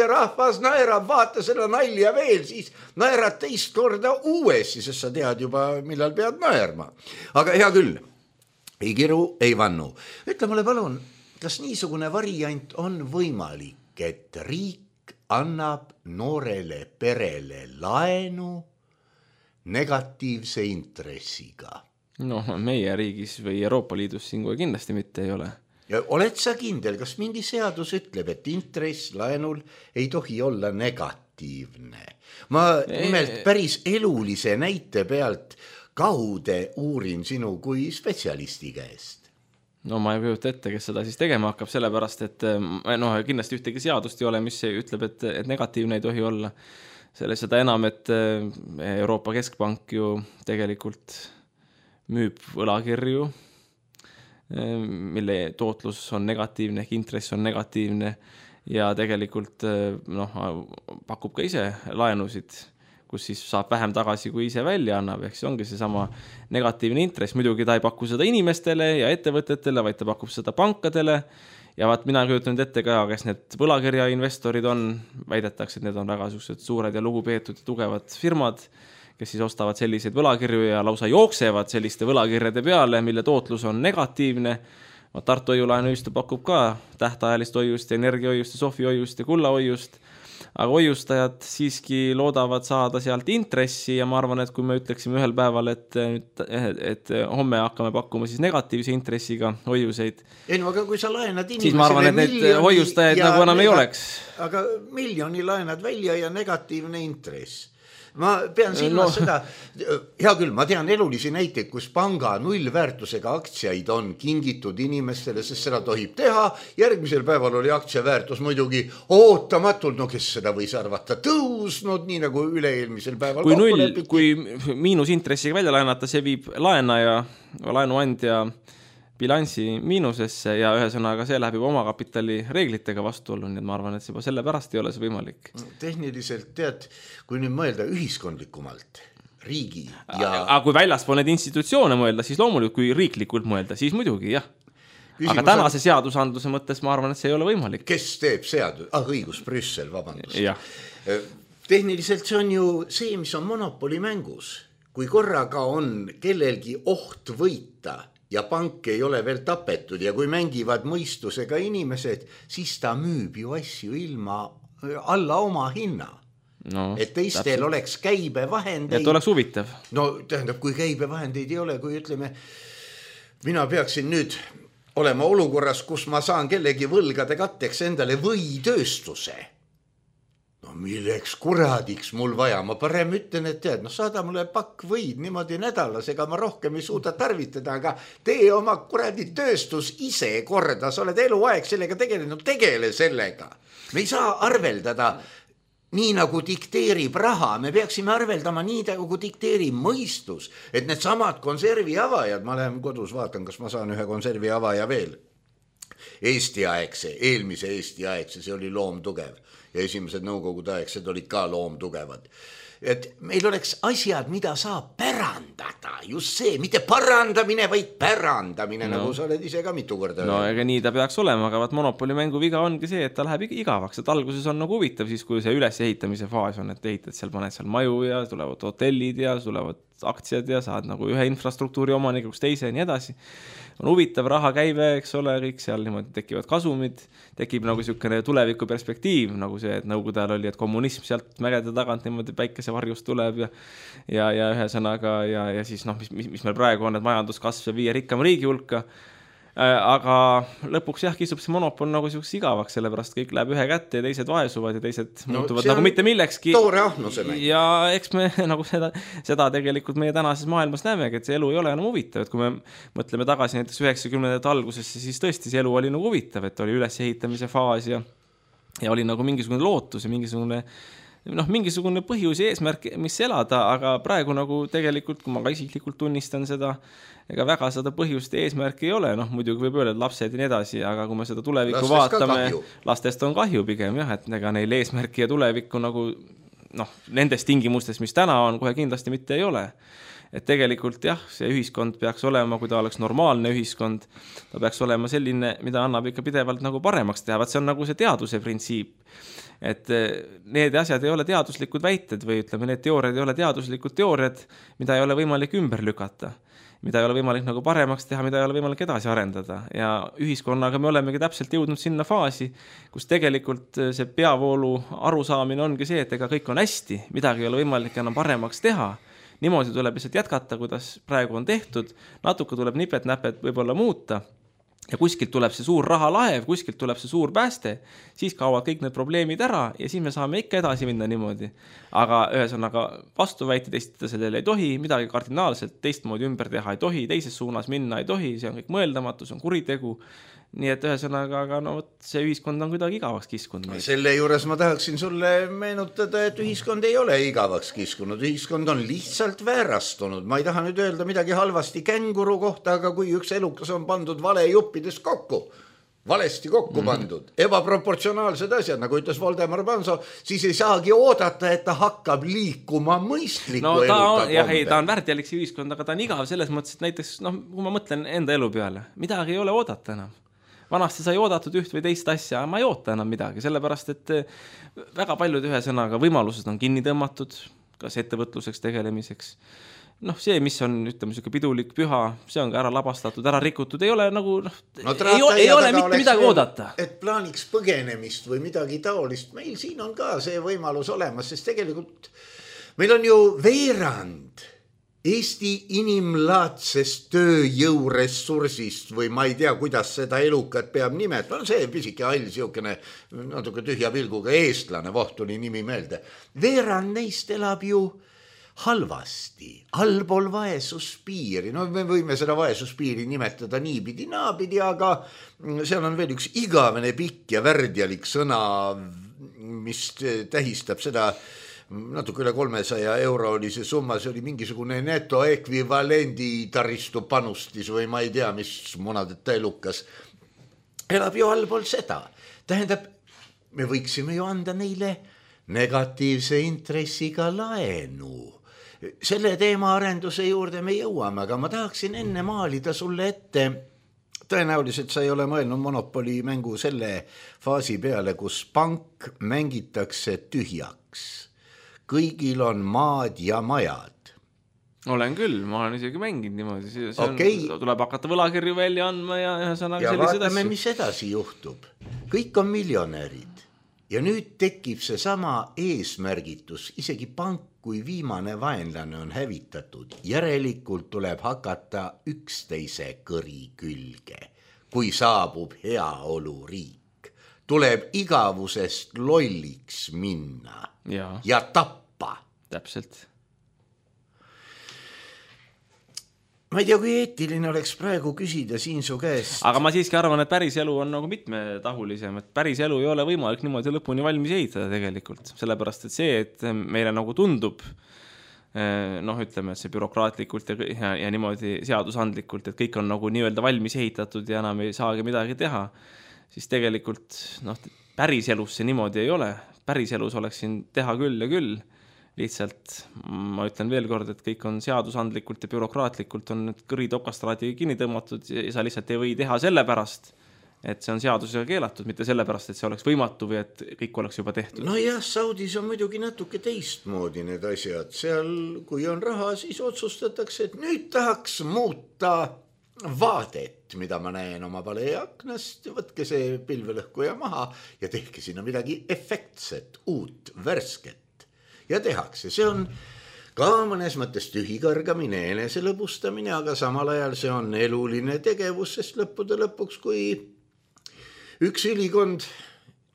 rahvas naerab, vaata seda nalja veel, siis naerad teist korda uuesti, sest sa tead juba, millal pead naerma. Aga hea küll, ei kiru, ei vannu. Ütle mulle palun, kas niisugune variant on võimalik, et riik annab noorele perele laenu negatiivse intressiga? Meie riigis või Euroopa Liidus siin kohe kindlasti mitte ei ole. Ja oled sa kindel, kas mingi seadus ütleb, et intress laenul ei tohi olla negatiivne? Ma nimelt päris elulise näite pealt kaude uurin sinu kui spetsialisti käest. Ma ei kujuta ette, kes seda siis tegema hakkab, sellepärast, et kindlasti ühtegi seadust ei ole, mis ütleb, et negatiivne ei tohi olla. Seda enam, et Euroopa Keskpank ju tegelikult müüb võlakirju, mille tootlus on negatiivne, ehk intress on negatiivne ja tegelikult pakub ka ise laenusid, kus siis saab vähem tagasi, kui ise välja annab, ehk see ongi see sama negatiivne intress. Muidugi ta ei paku seda inimestele ja ettevõtetele, vaid ta pakub seda pankadele ja mina kujutan ette ka, kes need võlakirja investorid on, väidetakse, et need on väga suured ja lugupeetud ja tugevad firmad, kes siis ostavad selliseid võlakirju ja lausa jooksevad selliste võlakirjade peale, mille tootlus on negatiivne. Tartu hoiulaenuühistu pakub ka tähtajalist hoiust, energiahoiust, sohvihoiust ja kullahoiust. Aga hoiustajad siiski loodavad saada sealt intressi ja ma arvan, et kui me ütleksime ühel päeval, et homme hakkame pakkuma siis negatiivse intressiga hoiuseid, aga kui sa laenad inimesele siis ma arvan, et need hoiustajaid nagu enam ei oleks. Aga 1 miljoni laenad välja ja negatiivne intress. Ma pean silmas seda, hea küll, ma tean elulisi näiteid, kus panga nullväärtusega aktsiaid on kingitud inimestele, sest seda tohib teha. Järgmisel päeval oli aktsiaväärtus muidugi ootamatult, kes seda võis arvata, tõusnud, nii nagu üle-eelmisel päeval. Kui miinusintressiga välja laenata, see viib laenaja, laenuandja bilansi miinusesse ja ühesõnaga see läheb juba omakapitali reeglitega vastuollu, nii et ma arvan, et juba selle pärast ei ole see võimalik. Tehniliselt tead, kui nüüd mõelda ühiskondlikumalt, riigi ja... Aga kui väljaspool need institutsioone mõelda, siis loomulikult kui riiklikult mõelda, siis muidugi jah. Aga tänase seadusandluse mõttes ma arvan, et see ei ole võimalik. Kes teeb seadus? Õigus, Brüssel, vabandust. Ja. Tehniliselt see on ju see, mis on monopolimängus. Kui korraga on kellelgi oht võita ja pank ei ole veel tapetud ja kui mängivad mõistusega inimesed, siis ta müüb ju asju ilma alla oma hinna. Et teistel oleks käibevahendeid. Et oleks huvitav. Tähendab, kui käibevahendeid ei ole, kui ütleme, mina peaksin nüüd olema olukorras, kus ma saan kellegi võlgade katteks endale võitööstuse. Milleks kuradiks mul vaja, ma parem ütlen, et tead, saada mulle pakk võid niimoodi nädalas, ega ma rohkem ei suuda tarvitada, aga tee oma kuradi tööstus ise korda, sa oled eluaeg sellega tegelenud, tegele sellega. Me ei saa arveldada nii nagu dikteerib raha, me peaksime arveldama nii nagu dikteerib mõistus, et need samad konservi avajad, ma lähen kodus vaatan, kas ma saan ühe konservi avaja veel, eelmise Eesti aegse, see oli loomtugev ja esimesed nõukogude aegsed olid ka loomtugevad. Et meil oleks asjad, mida saab pärandada, just see, mitte parandamine, vaid pärandamine, nagu sa oled ise ka mitu korda. No ega nii ta peaks olema, aga Monopoli mängu viga ongi see, et ta läheb igavaks, et alguses on nagu huvitav siis, kui see ülesehitamise faas on, et ehitad seal, paned seal maju ja tulevad hotellid ja tulevad aktsiad ja saad nagu ühe infrastruktuuri omanikuks teise ja nii edasi. On huvitav raha käive, eks ole, kõik seal niimoodi tekivad kasumid, tekib nagu niisugune tuleviku perspektiiv, nagu see, et nõukogude ajal oli, et kommunism sealt mägede tagant niimoodi päikese varjust tuleb ja ühe sõnaga ja siis mis meil praegu on, et majanduskasv ja 5 rikkama riigi hulka. Aga lõpuks jah, kisub see monopol nagu siuks igavaks, sellepärast kõik läheb ühe kätte ja teised vaesuvad ja teised muutuvad nagu mitte millekski. Toore ahnuse mäng. Ja eks me nagu seda tegelikult meie tänases maailmas näemegi, et see elu ei ole enam huvitav, et kui me mõtleme tagasi näiteks 90. algusesse, siis tõesti see elu oli nagu huvitav, et oli ülesehitamise faas ja oli nagu mingisugune lootus ja mingisugune põhjus ja eesmärk, mis elada, aga praegu nagu tegelikult, kui ma ka isiklikult tunnistan seda, ega väga seda põhjust ja eesmärki ei ole, muidugi võib öelda, et lapsed ja nii edasi, aga kui me seda tulevikku vaatame, lastest on kahju pigem jah, et ega neil eesmärki ja tulevikku nagu nendes tingimustes, mis täna on, kohe kindlasti mitte ei ole. Et tegelikult jah, see ühiskond peaks olema, kui ta oleks normaalne ühiskond, ta peaks olema selline, mida annab ikka pidevalt nagu paremaks teha, see on nagu see teaduse printsiip. Et need asjad ei ole teaduslikud väited või ütleme, need teooriad ei ole teaduslikud teooriad, mida ei ole võimalik ümber lükata, mida ei ole võimalik nagu paremaks teha, mida ei ole võimalik edasi arendada. Ja ühiskonnaga me olemegi täpselt jõudnud sinna faasi, kus tegelikult see peavoolu arusaamine ongi see, et ega kõik on hästi, midagi ei ole võimalik enam paremaks teha. Niimoodi tuleb lihtsalt jätkata, kuidas praegu on tehtud, natuke tuleb nipet-näpet võib-olla muuta ja kuskilt tuleb see suur rahalaev, kuskilt tuleb see suur pääste, siis kaovad kõik need probleemid ära ja siis me saame ikka edasi minna niimoodi. Aga ühesõnaga vastuväiteid esitada sellele ei tohi, midagi kardinaalselt teistmoodi ümber teha ei tohi, teises suunas minna ei tohi, see on kõik mõeldamatu, see on kuritegu. Nii et ühesõnaga, aga see ühiskond on kuidagi igavaks kiskunud. Selle juures ma tahaksin sulle meenutada, et ühiskond ei ole igavaks kiskunud, ühiskond on lihtsalt väärastunud. Ma ei taha nüüd öelda midagi halvasti känguru kohta, aga kui üks elukas on pandud vale juppides kokku, valesti kokku pandud, ebaproportsionaalsed asjad, nagu ütles Voldemar Panso, siis ei saagi oodata, et ta hakkab liikuma mõistliku eluka kombe. Ta on värdjalik see ühiskond, aga ta on igav selles mõttes, et näiteks, kui ma mõtlen enda elu peale, midagi ei ole oodata enam. Vanasti sai oodatud üht või teist asja, ma ei oota enam midagi, sellepärast, et väga paljud ühesõnaga võimalused on kinni tõmmatud, kas ettevõtluseks tegelemiseks. See, mis on, ütleme, pidulik püha, see on ka ära labastatud, ära rikutud, ei ole nagu, ei ole mitte midagi oodata. Et plaaniks põgenemist või midagi taolist, meil siin on ka see võimalus olemas, sest tegelikult meil on ju veerand Eesti inimlaadsest tööjõuressursist või ma ei tea, kuidas seda elukat peab nimet. On see pisike hall, siukene natuke tühja pilguga eestlane, vohtuni nimi meelde. Veerand neist elab ju halvasti, allpool vaesuspiiri. Me võime seda vaesuspiiri nimetada niipidi, naapidi, aga seal on veel üks igavene pikk ja värdjalik sõna, mis tähistab seda natuke üle 300 euro oli see summa, see oli mingisugune netoekvivalendi taristu panustis või ma ei tea, mis munadeta elukas. Elab ju allpool seda. Tähendab, me võiksime ju anda neile negatiivse intressiga laenu. Selle teema arenduse juurde me jõuame, aga ma tahaksin enne maalida sulle ette. Tõenäoliselt sa ei ole mõelnud Monopoli mängu selle faasi peale, kus pank mängitakse tühjaks. Kõigil on maad ja majad. Olen küll, ma olen isegi mänginud niimoodi. Tuleb hakata võlakirju välja andma ja ühesõnaga sellised asju. Vaatame, mis edasi juhtub. Kõik on miljonärid. Ja nüüd tekib see sama eesmärgitus. Isegi pank, kui viimane vaenlane on hävitatud. Järelikult tuleb hakata üksteise kõri külge. Kui saabub heaoluriik. Tuleb igavusest lolliks minna ja tappa. Täpselt. ma ei tea, kui eetiline oleks praegu küsida siin su käest. Aga ma siiski arvan, et päris elu on nagu mitmetahulisem, et päris elu ei ole võimalik niimoodi lõpuni valmis ehitada tegelikult. Sellepärast, et see, et meile nagu tundub, ütleme, et see bürokraatlikult ja niimoodi seadusandlikult, et kõik on nagu nii-öelda valmis ehitatud ja enam ei saagi midagi teha, siis tegelikult päris elus see niimoodi ei ole. Päris elus oleks siin teha küll ja küll. Lihtsalt ma ütlen veel kord, et kõik on seadusandlikult ja bürokraatlikult on need kõrid okastraadi kinni tõmmatud ja sa lihtsalt ei või teha sellepärast, et see on seadusega keelatud, mitte sellepärast, et see oleks võimatu või et kõik oleks juba tehtud. No jah, Saudis on muidugi natuke teistmoodi need asjad. Seal, kui on raha, siis otsustatakse, et nüüd tahaks muuta vaadet, mida ma näen oma paleaknast, võtke see pilvelõhkuja maha ja tehke sinna midagi efektset, uut, värsket. Ja tehakse, see on ka mõnes mõttes tühikargamine, enese lõbustamine, aga samal ajal see on eluline tegevus, sest lõppude lõpuks, kui üks ülikond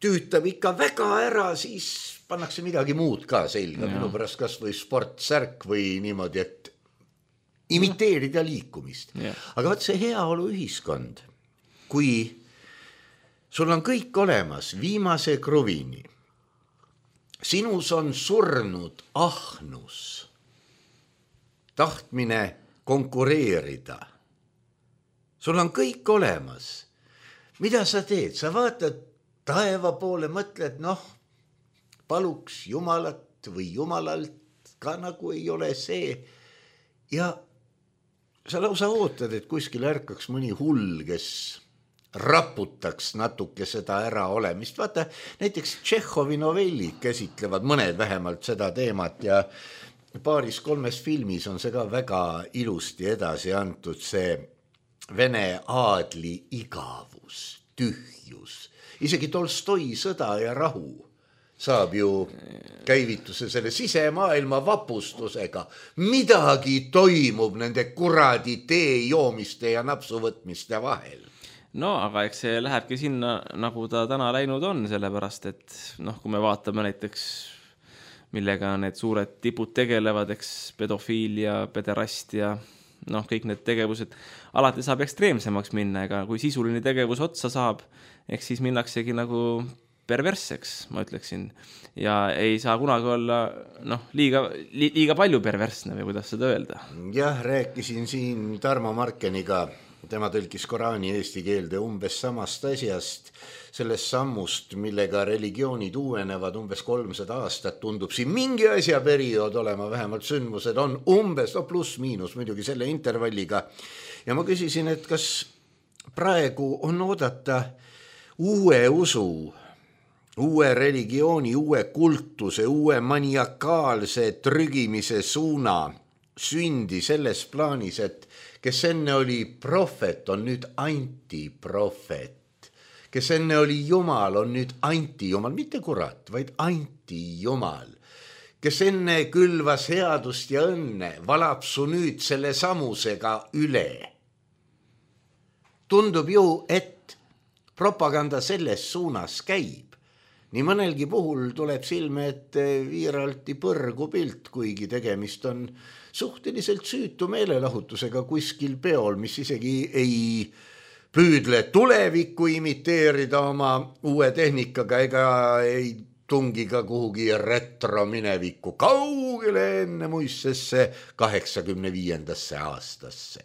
tüütab ikka väga ära, siis pannakse midagi muud ka selga, minu pärast kas või sportsärk või niimoodi, et imiteerida liikumist. Aga võt see heaolu ühiskond, kui sul on kõik olemas viimase kruvini, sinus on surnud ahnus, tahtmine konkureerida. Sul on kõik olemas. Mida sa teed? Sa vaatad taeva poole, mõtled, paluks Jumalat või Jumalalt ka nagu ei ole see. Ja sa lausa ootad, et kuskil ärkaks mõni hull, kes raputaks natuke seda ära olemist. Vaata, näiteks Tšehhovi novellid käsitlevad mõned vähemalt seda teemat ja paaris-kolmes filmis on see ka väga ilusti edasi antud, see Vene aadli igavus, tühjus. Isegi Tolstoi Sõda ja rahu saab ju käivituse selle sisemaailma vapustusega. Midagi toimub nende kuradi tee joomiste ja napsuvõtmiste vahel. No, aga eks see lähebki sinna, nagu ta täna läinud on, sellepärast, et kui me vaatame näiteks, millega need suured tipud tegelevad, eks pedofiilia, pederastia, kõik need tegevused, alati saab ekstreemsemaks minna, ega kui sisuline tegevus otsa saab, eks siis minnaksegi nagu perversseks, ma ütleksin, ja ei saa kunagi olla liiga palju perversne või kuidas seda öelda. Jah, rääkisin siin Tarmo Markeniga, tema tõlkis Koraani eesti keelde umbes samast asjast, sellest sammust, millega religioonid uuenevad umbes 300 aastat, tundub siin mingi asja periood olema, vähemalt sündmused on umbes, pluss-miinus muidugi selle intervalliga. Ja ma küsisin, et kas praegu on oodata uue usu, uue religiooni, uue kultuse, uue maniakaalse trügimise suuna sündi selles plaanis, et kes enne oli prohvet, on nüüd antiprohvet. Kes enne oli Jumal, on nüüd antijumal, mitte kurat, vaid antijumal. Kes enne külvas headust ja õnne, valab su nüüd selle samusega üle. Tundub ju, et propaganda selles suunas käib. Nii mõnelgi puhul tuleb silme, et viiralti põrgu pilt, kuigi tegemist on suhteliselt süütu meelelahutusega kuskil peol, mis isegi ei püüdle tulevikku imiteerida oma uue tehnikaga ega ei tungi ka kuhugi retro minevikku kaugele enne muistesse 85. aastasse.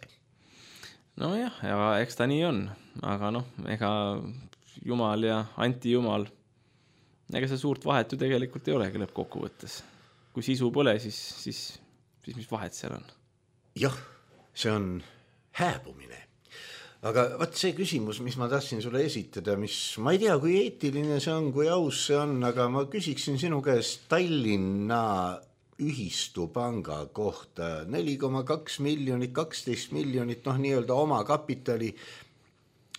Nojah, ja eks ta nii on, aga ega Jumal ja antijumal, ega see suurt vahet ju tegelikult ei olegi lõppkokkuvõttes. Kui sisu pole, siis mis vahet seal on? Jah, see on hääbumine. Aga vaat see küsimus, mis ma tahtsin sulle esitada, mis ma ei tea, kui eetiline see on, kui aus see on, aga ma küsiksin sinu käest Tallinna ühistupanga kohta 4,2 miljonit, 12 miljonit, nii-öelda oma kapitali.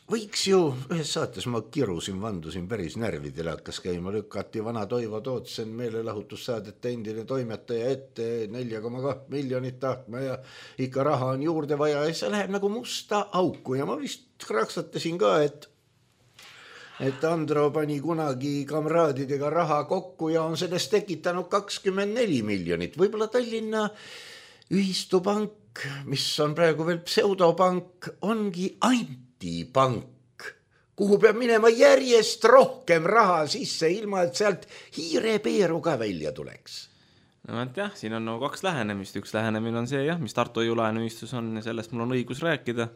Võiks ju, ühes saates ma kirusin, vandusin päris närvidele, hakkas käima, lükati vana Toivo Tootsen meelelahutussaadete endine toimetaja ette 4,2 miljonit tahtma ja ikka raha on juurde vaja ja see läheb nagu musta auku ja ma vist kraksatasin ka, et Andro pani kunagi kamraadidega raha kokku ja on sellest tekitanud 24 miljonit. Võib-olla Tallinna ühistupank mis on praegu veel pseudopank, ongi antipank, kuhu peab minema järjest rohkem raha sisse, ilma et sealt hiirepeeru ka välja tuleks. No jah, siin on kaks lähenemist. Üks lähenemine on see, mis Tartu Hoiu-laenuühistus on ja sellest mul on õigus rääkida,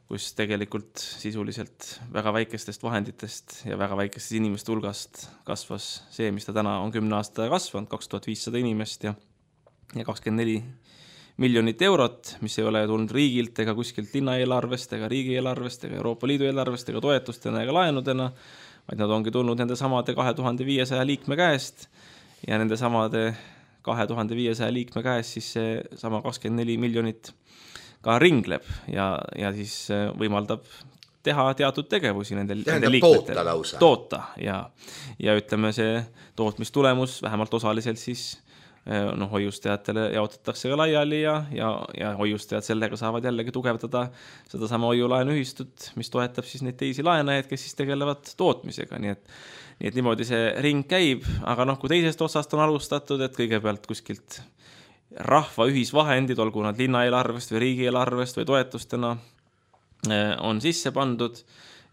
kus tegelikult sisuliselt väga väikestest vahenditest ja väga väikestest inimeste hulgast kasvas see, mis ta täna on 10 aasta kasvanud, 2500 inimest ja 24 miljonit eurot, mis ei ole tulnud riigilt ega kuskilt linnaeelarvest ega riigieelarvest ega Euroopa Liidu eelarvest ega toetustena ega laenudena, vaid nad ongi tulnud nende samade 2500 liikme käest ja nende samade 2500 liikme käest siis see sama 24 miljonit ka ringleb ja siis võimaldab teha teatud tegevusi nende liikmetel. Toota ja ütleme see tootmistulemus vähemalt osaliselt siis hoiustajatele jaotatakse ka laiali ja hoiustajad sellega saavad jällegi tugevdada seda sama hoiulaenuühistut, mis toetab siis neid teisi laenajaid, kes siis tegelevad tootmisega. Nii et niimoodi see ring käib, aga kui teisest otsast on alustatud, et kõigepealt kuskilt rahva ühisvahendid, olgu nad linnaeelarvest või riigieelarvest või toetustena on sisse pandud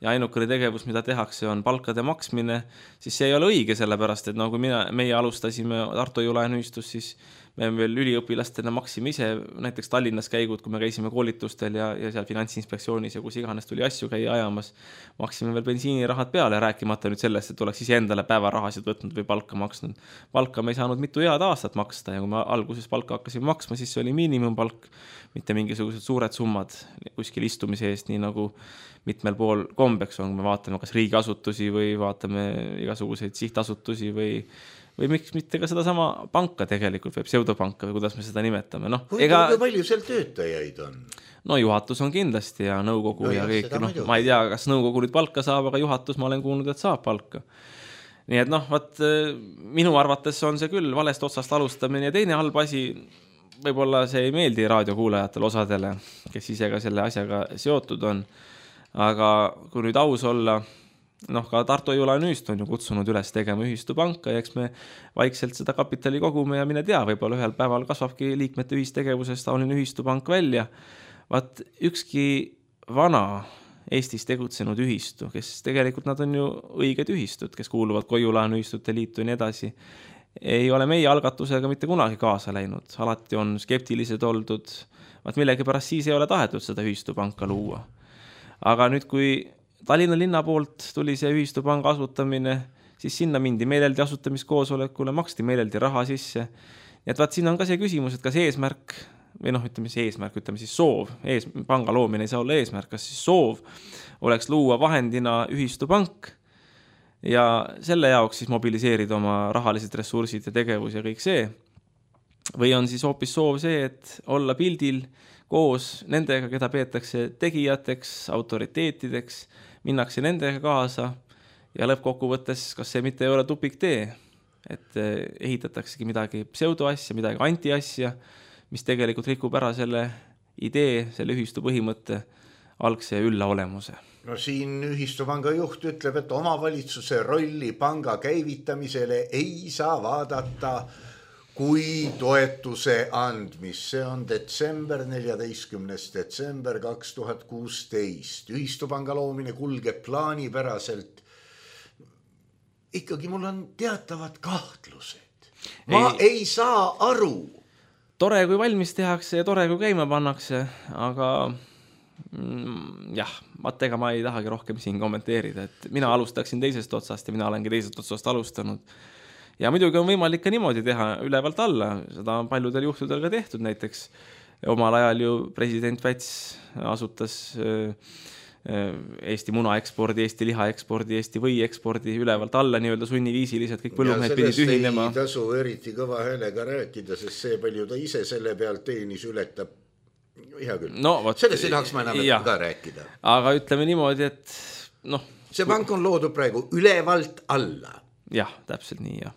ja ainukene tegevus, mida tehakse, on palkade maksmine, siis see ei ole õige, sellepärast, et kui meie alustasime Tartu Hoiu-laenuühistus, siis me veel üliõpilastena maksime ise näiteks Tallinnas käigud, kui me käisime koolitustel ja seal Finantsinspektsioonis ja kus iganes tuli asju käia ajamas, maksime veel bensiinirahad peale, rääkimata nüüd sellest, et oleks ise endale päevarahasid võtnud või palka maksnud. Palka me ei saanud mitu head aastat maksta ja kui me alguses palka hakkasime maksma, siis see oli miinimumpalk, mitte mingisugused suured summad kuskil istumise eest, nii nagu mitmel pool kombeks on, kui me vaatame kas riigiasutusi või vaatame igasuguseid sihtasutusi või miks mitte ka seda sama panka tegelikult või pseudopanka või kuidas me seda nimetame. Kui palju seal töötajaid on? No juhatus on kindlasti ja nõukogu ja kõik. Ma ei tea, kas nõukogu nüüd palka saab, aga juhatus ma olen kuulnud, et saab palka. Nii et minu arvates on see küll valest otsast alustamine ja teine halb asi, võib-olla see ei meeldi raadiokuulajatele osadele, kes ise ka selle asjaga seotud on, aga kui nüüd aus olla, ka Tartu Hoiu-laenuühistu on ju kutsunud üles tegema ühistupanka ja eks me vaikselt seda kapitali kogume ja mine tea, võib-olla ühel päeval kasvabki liikmete ühistegevusest taoline ühistupank välja. Ükski vana Eestis tegutsenud ühistu, kes tegelikult nad on ju õiged ühistud, kes kuuluvad Hoiu-laenuühistute liitu ja nii edasi, ei ole meie algatusega mitte kunagi kaasa läinud. Alati on skeptilised oldud, millegipärast siis ei ole tahetud seda ühistupanka luua. Aga nüüd, kui Tallinna linna poolt tuli see ühistupanga asutamine, siis sinna mindi meeleldi asutamiskoosolekule, maksti meeleldi raha sisse. Et siin on ka see küsimus, et kas eesmärk, või ütleme siis soov, panga loomine ei saa olla eesmärk, kas siis soov oleks luua vahendina ühistupank ja selle jaoks siis mobiliseerida oma rahalised ressursid ja tegevus ja kõik see. Või on siis hoopis soov see, et olla pildil koos nendega, keda peetakse tegijateks, autoriteetideks, minnakse nendega kaasa ja lõppkokkuvõttes, kas see mitte ei ole tupiktee, et ehitataksegi midagi pseudoasja, midagi antiasja, mis tegelikult rikub ära selle idee, selle ühistu põhimõtte algse ülla olemuse. No siin ühistupanga juht ütleb, et omavalitsuse rolli panga käivitamisele ei saa vaadata kui toetuse andmist. See on 14. detsember 2016. Ühistupanga loomine kulgeb plaanipäraselt. Ikkagi mul on teatavad kahtlused. Ma ei saa aru. Tore, kui valmis tehakse ja tore, kui käima pannakse, aga ega ma ei tahagi rohkem siin kommenteerida. Et mina alustaksin teisest otsast ja mina olengi teisest otsast alustanud. Ja muidugi on võimalik ka niimoodi teha ülevalt alla, seda on paljudel juhtudel ka tehtud, näiteks omal ajal ju president Väts asutas Eesti munaekspordi, Eesti lihaekspordi, Eesti võiekspordi ülevalt alla nii-öelda sunniviisiliselt, kõik põllumehed pidid ühinema. Ja sellest ei tasu eriti kõva häälega rääkida, sest see palju ta ise selle pealt teenis ületab. Hea küll. Sellest ei tahaks ma enam ka rääkida. Aga ütleme niimoodi, et see pank on loodud praegu ülevalt alla. Jah, täpselt nii, jah.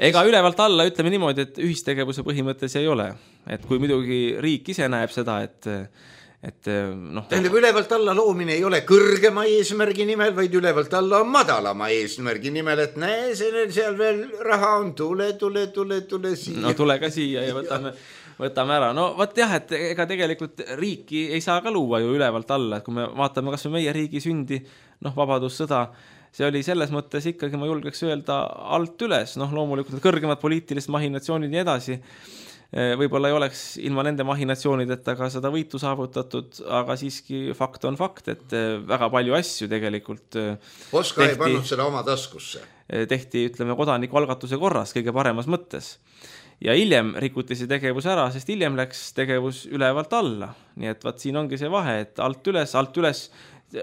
Ega ülevalt alla ütleme niimoodi, et ühistegevuse põhimõttes ei ole. Et kui muidugi riik ise näeb seda, tähendab, ülevalt alla loomine ei ole kõrgema eesmärgi nimel, vaid ülevalt alla on madalama eesmärgi nimel, et näe, seal veel raha on, tule siia. No tule ka siia ja võtame ära. No võt jah, et ega tegelikult riiki ei saa ka luua ju ülevalt alla, et kui me vaatame kas või meie riigi sündi, vabadussõda, see oli selles mõttes ikkagi, ma julgeks öelda, alt üles, loomulikult kõrgemad poliitilised mahinatsioonid ja edasi. Võib-olla ei oleks ilma nende mahinatsioonideta ka seda võitu saavutatud, aga siiski fakt on fakt, et väga palju asju tegelikult Oskar ei pannud seda oma taskusse. Tehti, ütleme, kodanikualgatuse korras kõige paremas mõttes. Ja hiljem rikuti see tegevus ära, sest hiljem läks tegevus ülevalt alla. Nii et vaat siin ongi see vahe, et alt üles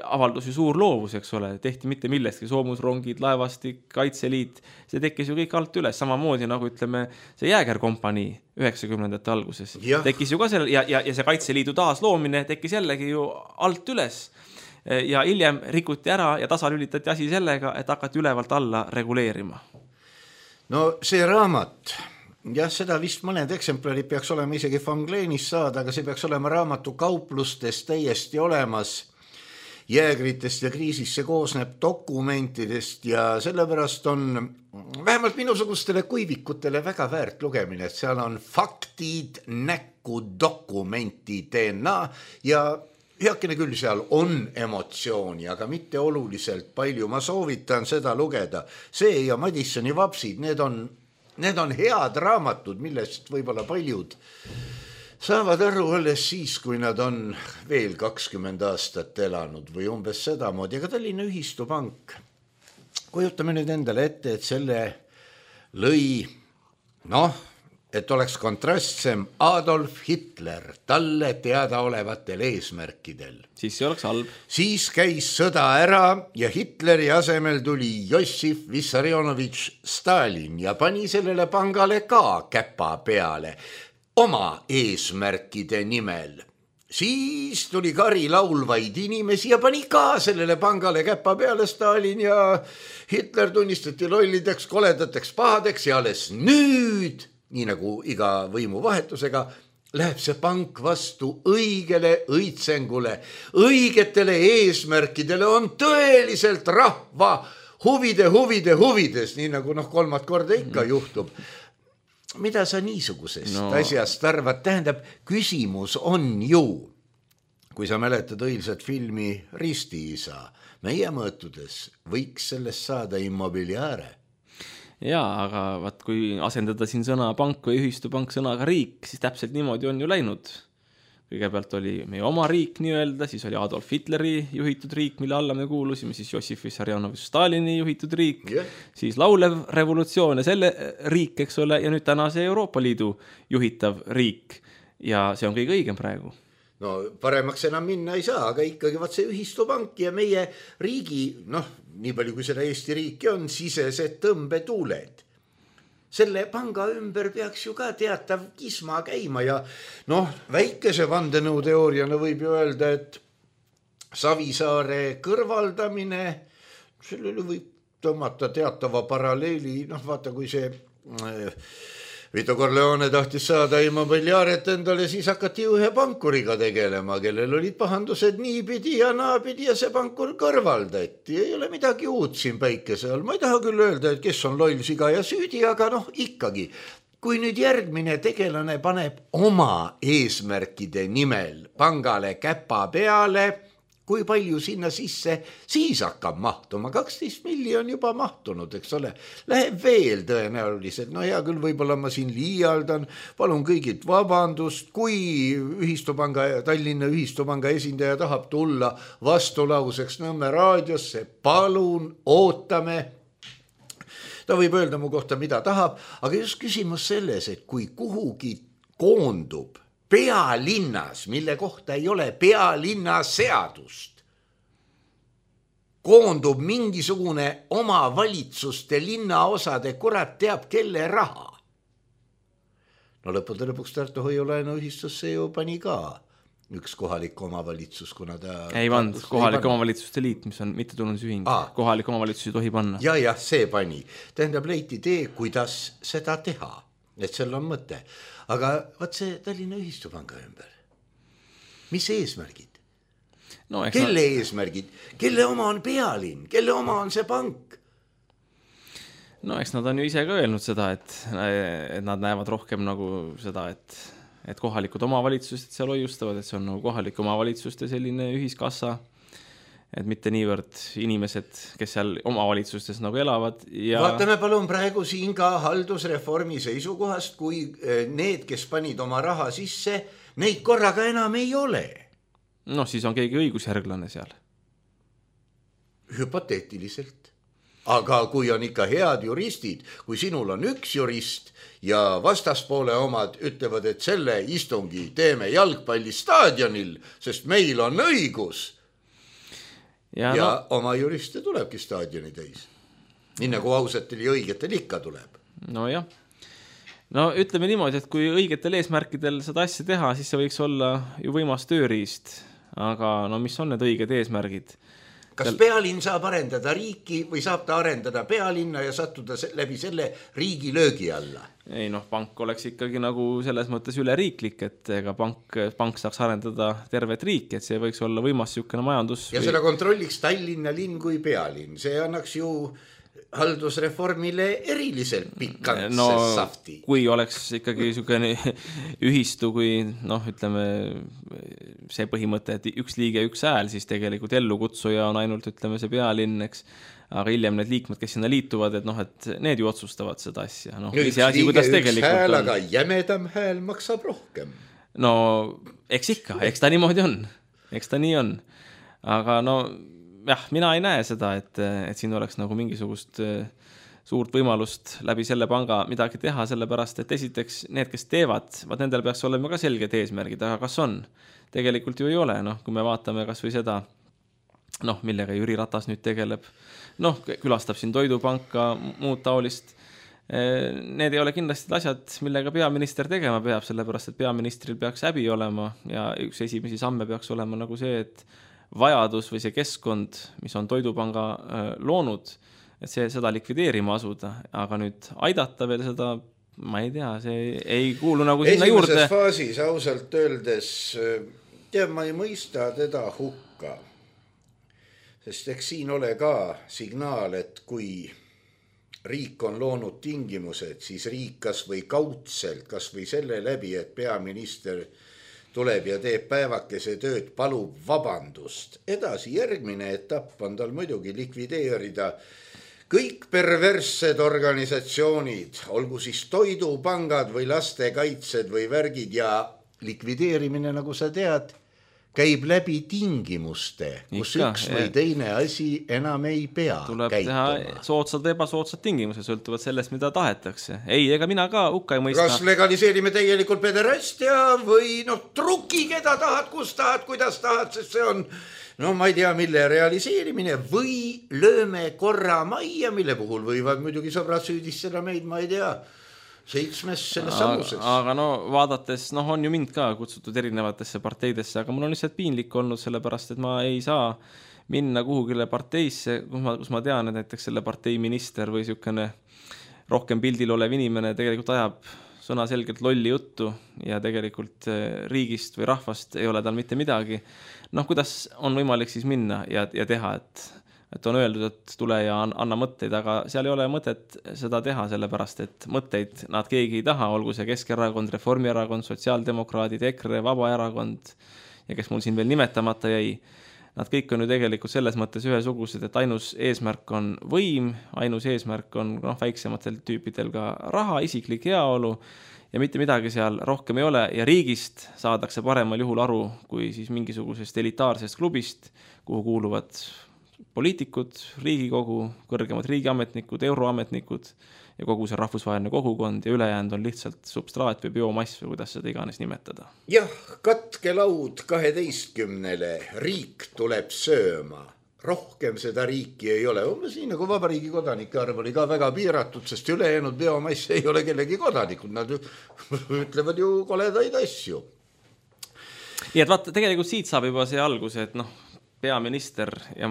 avaldus ju suur loovus, eks ole, tehti mitte millestki, soomusrongid, laevastik, kaitseliit, see tekkis ju kõik alt üles, samamoodi nagu ütleme see Jäägerkompanii 90ndate alguses. Tekkis ju ka selle, ja see kaitseliidu taasloomine tekkis jällegi ju alt üles ja hiljem rikuti ära ja tasalülitati asi sellega, et hakati ülevalt alla reguleerima. No see raamat, jah, seda vist mõned eksemplarid peaks olema isegi Fangleenis saada, aga see peaks olema raamatu kauplustes täiesti olemas. Jäägritest ja kriisist see koosneb dokumentidest ja sellepärast on vähemalt minusugustele kuivikutele väga väärt lugemine, et seal on faktid, näkku, dokumentidena ja heakene küll seal on emotsiooni, aga mitte oluliselt palju. Ma soovitan seda lugeda. See ja Madissoni vapsid, need on head raamatud, millest võib-olla paljud saavad aru alles siis, kui nad on veel 20 aastat elanud või umbes sedamoodi, aga Tallinna Ühistupank. Kujutame nüüd endale ette, et selle lõi, et oleks kontrastsem Adolf Hitler talle teadaolevatel eesmärkidel. Siis see oleks halb. Siis käis sõda ära ja Hitleri asemel tuli Jossif Vissarionovitš Stalin ja pani sellele pangale ka käpa peale oma eesmärkide nimel. Siis tuli kari laulvaid inimesi ja pani ka sellele pangale käpa peale Stalin ja Hitler tunnistati lollideks, koledateks, pahadeks ja alles nüüd, nii nagu iga võimuvahetusega, läheb see pank vastu õigele õitsengule, õigetele eesmärkidele, on tõeliselt rahva huvides, nii nagu kolmat korda ikka juhtub. Mida sa niisugusest asjast arvad? Tähendab, küsimus on ju, kui sa mäletad õilsat filmi Ristiisa, meie mõõtudes võiks sellest saada immobiliaare. Jaa, aga vaat kui asendada siin sõna pank või ühistupank sõnaga riik, siis täpselt niimoodi on ju läinud. Kõigepealt oli meie oma riik nii-öelda, siis oli Adolf Hitleri juhitud riik, mille alla me kuulusime, siis Jossif Vissarionovitš Stalini juhitud riik, siis laulev revolutsioon ja selle riik, eks ole, ja nüüd täna see Euroopa Liidu juhitav riik. Ja see on kõige õigem praegu. No paremaks enam minna ei saa, aga ikkagi vaat see ühistupank ja meie riigi, nii palju kui seda Eesti riiki on, sisesed tõmbetuuled. Selle panga ümber peaks ju ka teatav kisma käima ja väikese vandenõuteooriana võib ju öelda, et Savisaare kõrvaldamine, sellele võib tõmmata teatava paralleeli, vaata kui see Vito Corleone tahtis saada immobiliaaret endale, siis hakati ühe pankuriga tegelema, kellel olid pahandused niipidi ja naapidi ja see pankur kõrvaldati. Ei ole midagi uut siin päikese all. Ma ei taha küll öelda, et kes on loll siga ja süüdi, aga ikkagi. Kui nüüd järgmine tegelane paneb oma eesmärkide nimel pangale käpa peale, kui palju sinna sisse siis hakkab mahtuma? 12 miljonit juba mahtunud, eks ole. Läheb veel tõenäoliselt. Hea küll, võib-olla ma siin liialdan. Palun kõigilt vabandust, kui Tallinna Ühistupanga esindaja tahab tulla vastulauseks Nõmme raadiosse. Palun, ootame. Ta võib öelda mu kohta, mida tahab, aga just küsimus selles, et kui kuhugi koondub pealinnas, mille kohta ei ole pealinna seadust, koondub mingisugune omavalitsuste linnaosade kurat teab kelle raha. Lõppude lõpuks Tartu hoiulaenuühistusse ju pani ka üks kohalik omavalitsus, kuna ta... Ei vand, kohalik omavalitsuste liit, mis on mittetulundusühing. Kohalik omavalitsus ei tohi panna. Ja, see pani. Tähendab, leiti tee, kuidas seda teha. Et seal on mõte. Aga vaat see Tallinna Ühistupanga ümber. Mis eesmärgid? Kelle eesmärgid? Kelle oma on pealinn? Kelle oma on see pank? Eks nad on ju ise ka öelnud seda, et nad näevad rohkem nagu seda, et et kohalikud omavalitsused seal hoiustavad, et see on nagu kohalike omavalitsuste selline ühiskassa, et mitte niivõrd inimesed, kes seal omavalitsustes nagu elavad. Ja... Vaatame palun praegu siin ka haldusreformi seisukohast, kui need, kes panid oma raha sisse, neid korraga enam ei ole. Noh, siis on keegi õigusjärglane seal. Hüpoteetiliselt. Aga kui on ikka head juristid, kui sinul on üks jurist ja vastaspoole omad ütlevad, et selle istungi teeme jalgpallistaadionil, sest meil on õigus ja oma juriste tulebki staadioni täis. Nii nagu ausatel ja õigetel ikka tuleb. No jah. No ütleme niimoodi, et kui õigetel eesmärkidel seda asja teha, siis see võiks olla ju võimas tööriist. Aga no mis on need õiged eesmärgid? Kas pealinn saab arendada riiki või saab ta arendada pealinna ja sattuda läbi selle riigi löögi alla? Ei noh, pank oleks ikkagi nagu selles mõttes üleriiklik, et ega pank saaks arendada tervet riiki, et see võiks olla võimas siukene majandus. Ja seda kontrolliks Tallinna linn kui pealinn. See annaks ju haldusreformile eriliselt pikantse safti. Kui oleks ikkagi siukene ühistu, kui noh, ütleme see põhimõte, et üks liige, üks hääl, siis tegelikult ellukutsuja on ainult, ütleme, see pealinn, eks. Aga hiljem need liikmed, kes sinna liituvad, et noh, et need ju otsustavad seda asja. No, üks liige, üks hääl, aga jämedam hääl maksab rohkem. No, eks ikka, eks ta niimoodi on. Eks ta nii on. Aga no, jah, mina ei näe seda, et siin oleks nagu mingisugust suurt võimalust läbi selle panga midagi teha, sellepärast, et esiteks need, kes teevad, nendel peaks olema ka selged eesmärgid, aga kas on? Tegelikult ju ei ole, noh, kui me vaatame kas või seda, noh, millega Jüri Ratas nüüd tegeleb, noh, külastab siin toidupanka, muud taolist. Need ei ole kindlasti asjad, millega peaminister tegema peab, sellepärast, et peaministril peaks häbi olema ja üks esimesi samme peaks olema nagu see, et vajadus või see keskkond, mis on toidupanga loonud, et seda likvideerima asuda, aga nüüd aidata veel seda, ma ei tea, see ei kuulu nagu sinna juurde. Esimeses faasis ausalt öeldes, ma ei mõista teda hukka, sest eks siin ole ka signaal, et kui riik on loonud tingimused, siis riik kas või kaudselt, kas või selle läbi, et peaminister tuleb ja teeb päevakese tööd, palub vabandust. Edasi järgmine etapp on tal muidugi likvideerida kõik perverssed organisatsioonid, olgu siis toidupangad või lastekaitsed või värgid ja likvideerimine, nagu sa tead, käib läbi tingimuste, kus üks või teine asi enam ei pea tuleb käituma. Teha soodsad või ebasoodsad tingimused, sõltuvad sellest, mida tahetakse. Ei, ega mina ka hukka ei mõista. Kas legaliseerime tegelikult pederastia või truki, keda tahad, kus tahad, kuidas tahad, sest see on, ma ei tea, mille realiseerimine või lööme korra majja, mille puhul võivad muidugi sõbrad süüdistada meid, ma ei tea, 7 selles samuses. Aga vaadates, on ju mind ka kutsutud erinevatesse parteidesse, aga mul on lihtsalt piinlik olnud sellepärast, et ma ei saa minna kuhugile parteisse, kus ma tean, et näiteks selle partei minister või siukene rohkem pildil olev inimene tegelikult ajab sõna selgelt lolli juttu ja tegelikult riigist või rahvast ei ole tal mitte midagi. Kuidas on võimalik siis minna ja teha, et on öeldud, et tule ja anna mõtteid, aga seal ei ole mõtet seda teha, sellepärast, et mõtteid nad keegi ei taha, olgu see Keskerakond, Reformierakond, Sotsiaaldemokraadid, EKRE, Vabaerakond ja kes mul siin veel nimetamata jäi. Nad kõik on ju tegelikult selles mõttes ühesugused, et ainus eesmärk on võim, ainus eesmärk on väiksematel tüüpidel ka raha, isiklik heaolu ja mitte midagi seal rohkem ei ole ja riigist saadakse paremal juhul aru kui siis mingisugusest elitaarsest klubist, kuhu kuuluvad poliitikud, riigikogu, kõrgemad riigiametnikud, euroametnikud ja kogu see rahvusvaheline kogukond ja ülejäänud on lihtsalt substraat või biomass või kuidas seda iganes nimetada. Jah, katke laud 12-le, riik tuleb sööma. Rohkem seda riiki ei ole. Siin nagu vabariigi kodanike arv oli ka väga piiratud, sest ülejäänud biomass ei ole kellegi kodanikud. Nad ütlevad ju koledaid asju. Ja et vaata, tegelikult siit saab juba see alguse, et peaminister ja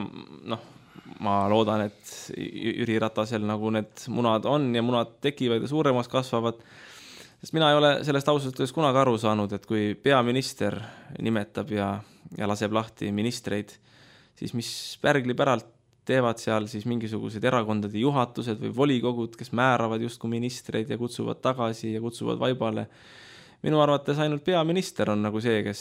ma loodan, et Jüri Ratasel nagu need munad on ja munad tekivad ja suuremaks kasvavad, sest mina ei ole sellest ausalt kunagi aru saanud, et kui peaminister nimetab ja laseb lahti ministreid, siis mis pärgli päralt teevad seal siis mingisugused erakondade juhatused või volikogud, kes määravad justkui ministreid ja kutsuvad tagasi ja kutsuvad vaibale. minu arvates ainult peaminister on nagu see, kes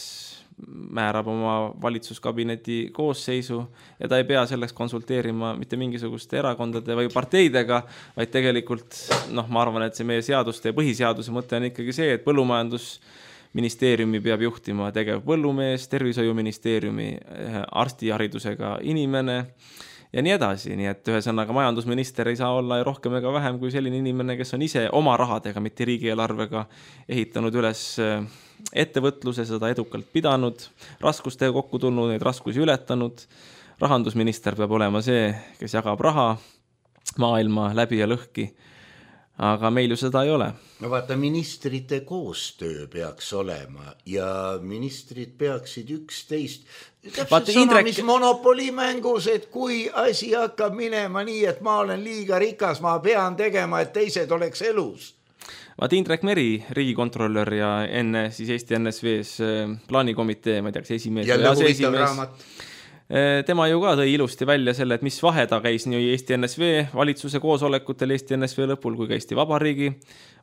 määrab oma valitsuskabineti koosseisu ja ta ei pea selleks konsulteerima mitte mingisuguste erakondade või parteidega, vaid tegelikult, ma arvan, et see meie seaduste ja põhiseaduse mõte on ikkagi see, et põllumajandusministeeriumi peab juhtima tegev põllumees, tervishoiuministeeriumi arstiharidusega inimene ja nii edasi, nii et ühesõnaga majandusminister ei saa olla rohkem ega vähem kui selline inimene, kes on ise oma rahadega, mitte riigieelarvega ehitanud üles ettevõtluse, seda edukalt pidanud, raskustega kokku tulnud, neid raskusi ületanud. Rahandusminister peab olema see, kes jagab raha maailma läbi ja lõhki, aga meil ju seda ei ole. No vaata, ministrite koostöö peaks olema ja ministrid peaksid üksteist täpselt sama, mis monopolimängus, et kui asi hakkab minema nii, et ma olen liiga rikas, ma pean tegema, et teised oleks elus. Vaat Indrek Meri, riigikontrolör ja enne siis Eesti NSV-s plaanikomitee, ma ei tea, kas esimees või aseesimees. Tema ju ka tõi ilusti välja selle, et mis vahe ta käis nii Eesti NSV valitsuse koosolekutel Eesti NSV lõpul kui ka Eesti Vabariigi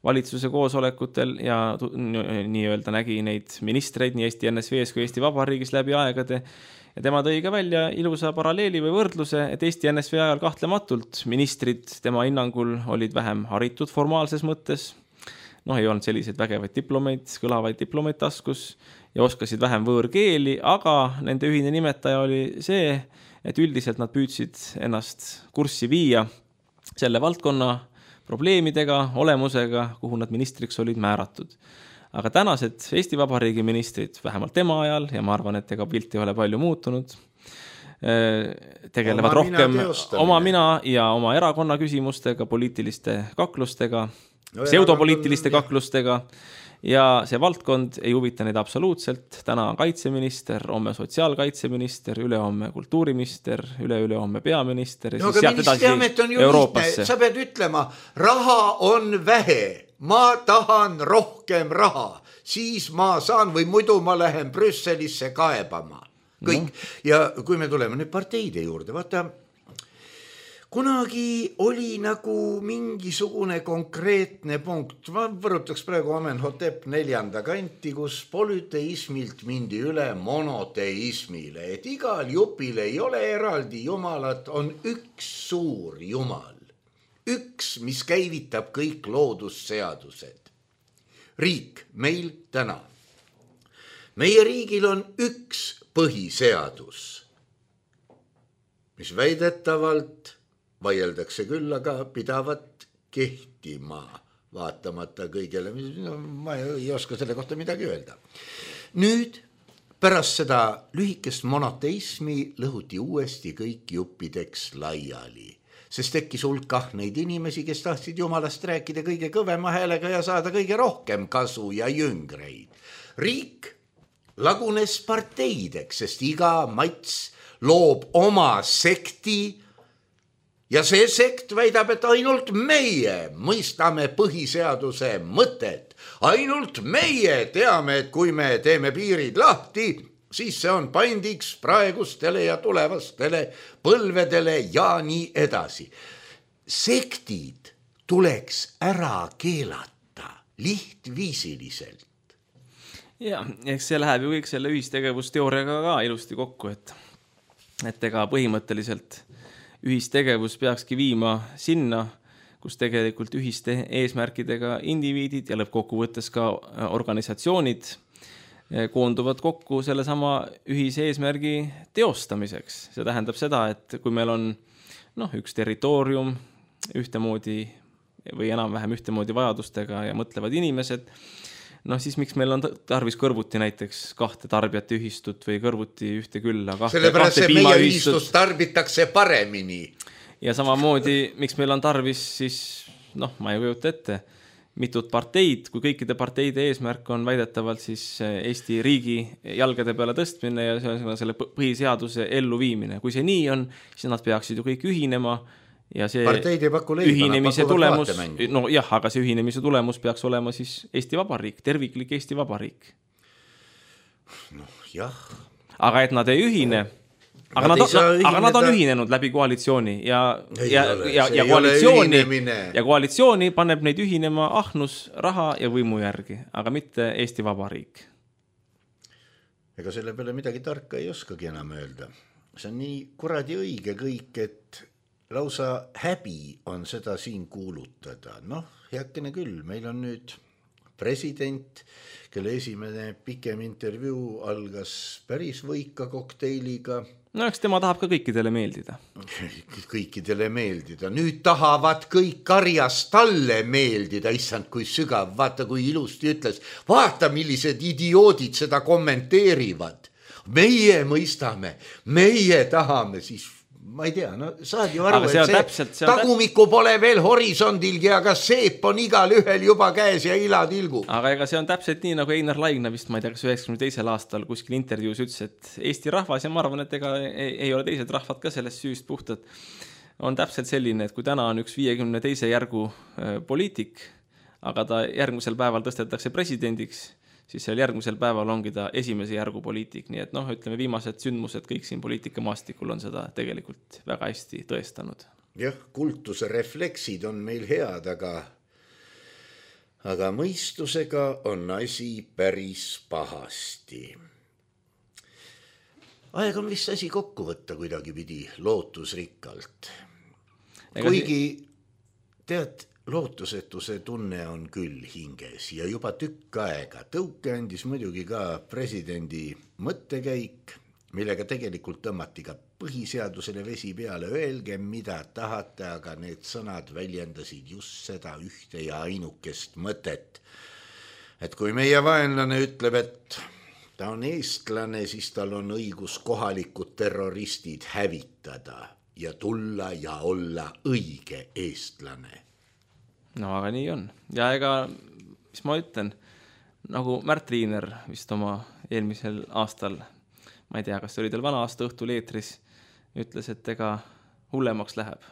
valitsuse koosolekutel ja nii-öelda nägi neid ministreid nii Eesti NSV-s kui Eesti Vabariigis läbi aegade. Ja tema tõi ka välja ilusa paralleeli või võrdluse, et Eesti NSV ajal kahtlematult ministrid tema hinnangul olid vähem haritud formaalses mõttes. Ei olnud selliseid vägevaid diplomeid, kõlavaid diplomeid taskus ja oskasid vähem võõrkeeli, aga nende ühine nimetaja oli see, et üldiselt nad püüdsid ennast kurssi viia selle valdkonna probleemidega, olemusega, kuhu nad ministriks olid määratud. Aga tänased Eesti Vabariigi ministrid, vähemalt tema ajal, ja ma arvan, et ega pilt ei ole palju muutunud, tegelevad rohkem oma mina ja oma erakonna küsimustega, poliitiliste kaklustega, pseudopoliitiliste kaklustega ja see valdkond ei huvita neid absoluutselt. Täna on kaitseminister, homme sotsiaalkaitseminister, ülehomme kultuuriminister, ülehomme peaminister ja siis sealt edasi Euroopasse. Sa pead ütlema, raha on vähe, ma tahan rohkem raha, siis ma saan või muidu ma lähen Brüsselisse kaebama. Kõik. Ja kui me tuleme nüüd parteide juurde, vaata, kunagi oli nagu mingisugune konkreetne punkt, ma võrutaks praegu Amenhotep 4. kanti, kus polüteismilt mindi üle monoteismile, et igal jupil ei ole eraldi jumalat, on üks suur jumal, üks, mis käivitab kõik loodusseadused. Riik meil täna. Meie riigil on üks põhiseadus, mis väidetavalt vaieldakse küll, aga pidavat kehtima vaatamata kõigele. Ma ei oska selle kohta midagi öelda. Nüüd pärast seda lühikest monoteismi lõhuti uuesti kõik juppideks laiali, sest tekkis hulk neid inimesi, kes tahtsid jumalast rääkida kõige kõvema häälega ja saada kõige rohkem kasu ja jüngreid. Riik lagunes parteideks, sest iga mats loob oma sekti ja see sekt väidab, et ainult meie mõistame põhiseaduse mõtet. Ainult meie teame, et kui me teeme piirid lahti, siis see on paindiks praegustele ja tulevastele põlvedele ja nii edasi. Sektid tuleks ära keelata lihtviisiliselt. Ja, eks see läheb ju kõik selle ühistegevusteooriaga ka ilusti kokku, et ega põhimõtteliselt ühistegevus peakski viima sinna, kus tegelikult ühiste eesmärkidega indiviidid ja lõppkokkuvõttes ka organisatsioonid koonduvad kokku selle sama ühise eesmärgi teostamiseks. See tähendab seda, et kui meil on üks territoorium ühtemoodi või enam-vähem ühtemoodi vajadustega ja mõtlevad inimesed, siis miks meil on tarvis kõrvuti näiteks kahte tarbijate ühistut või kõrvuti ühte külla. Sellepärast see meie ühistus tarbitakse paremini. Ja samamoodi, miks meil on tarvis siis, ma ei kujuta ette, mitut parteid, kui kõikide parteide eesmärk on väidetavalt siis Eesti riigi jalgade peale tõstmine ja selle põhiseaduse elluviimine. Kui see nii on, siis nad peaksid ju kõik ühinema. Ja see ühinemise tulemus, aga see ühinemise tulemus peaks olema siis Eesti Vabariik, terviklik Eesti Vabariik. Jah. Aga et nad ei ühine, Aga nad on ühinenud läbi koalitsiooni ja koalitsiooni paneb neid ühinema ahnus, raha ja võimu järgi, aga mitte Eesti Vabariik. Ega selle peale midagi tarka ei oskagi enam öelda. See on nii kuradi õige kõik, et lausa häbi on seda siin kuulutada. Heakene küll, meil on nüüd president, kelle esimene pikem intervjuu algas päris võika kokteiliga. Eks tema tahab ka kõikidele meeldida. Kõikidele meeldida. Nüüd tahavad kõik karjas talle meeldida. Issand, kui sügav. Vaata, kui ilusti ütles. Vaata, millised idioodid seda kommenteerivad. Meie mõistame. Meie tahame siis... Ma ei tea, saad ju aru, et see tagumiku pole veel horisondilgi, aga seep on igal ühel juba käes ja ilatilgu. Aga ega see on täpselt nii, nagu Einar Laigna vist, ma ei tea, kas 92. aastal kuskil intervjuus ütles, et Eesti rahvas, ja ma arvan, et ega ei ole teised rahvad ka sellest süüst puhtad, on täpselt selline, et kui täna on üks 52. järgu poliitik, aga ta järgmisel päeval tõstetakse presidendiks, siis seal järgmisel päeval ongi ta esimese järgu poliitik. Nii et ütleme, viimased sündmused kõik siin poliitikamaastikul on seda tegelikult väga hästi tõestanud. Jah, kultuse refleksid on meil head, aga mõistusega on asi päris pahasti. Aeg on vist asi kokku võtta kuidagi pidi lootusrikkalt. Kuigi tead, lootusetuse tunne on küll hinges ja juba tükk aega. Tõuke andis muidugi ka presidendi mõttekäik, millega tegelikult tõmmati ka põhiseadusele vesi peale. Öelge, mida tahate, aga need sõnad väljendasid just seda ühte ja ainukest mõtet. Et kui meie vaenlane ütleb, et ta on eestlane, siis tal on õigus kohalikud terroristid hävitada ja tulla ja olla õige eestlane. Aga nii on. Ja ega, mis ma ütlen, nagu Märt Riiner vist oma eelmisel aastal, ma ei tea, kas oli teil vana aasta õhtul eetris, ütles, et ega hullemaks läheb.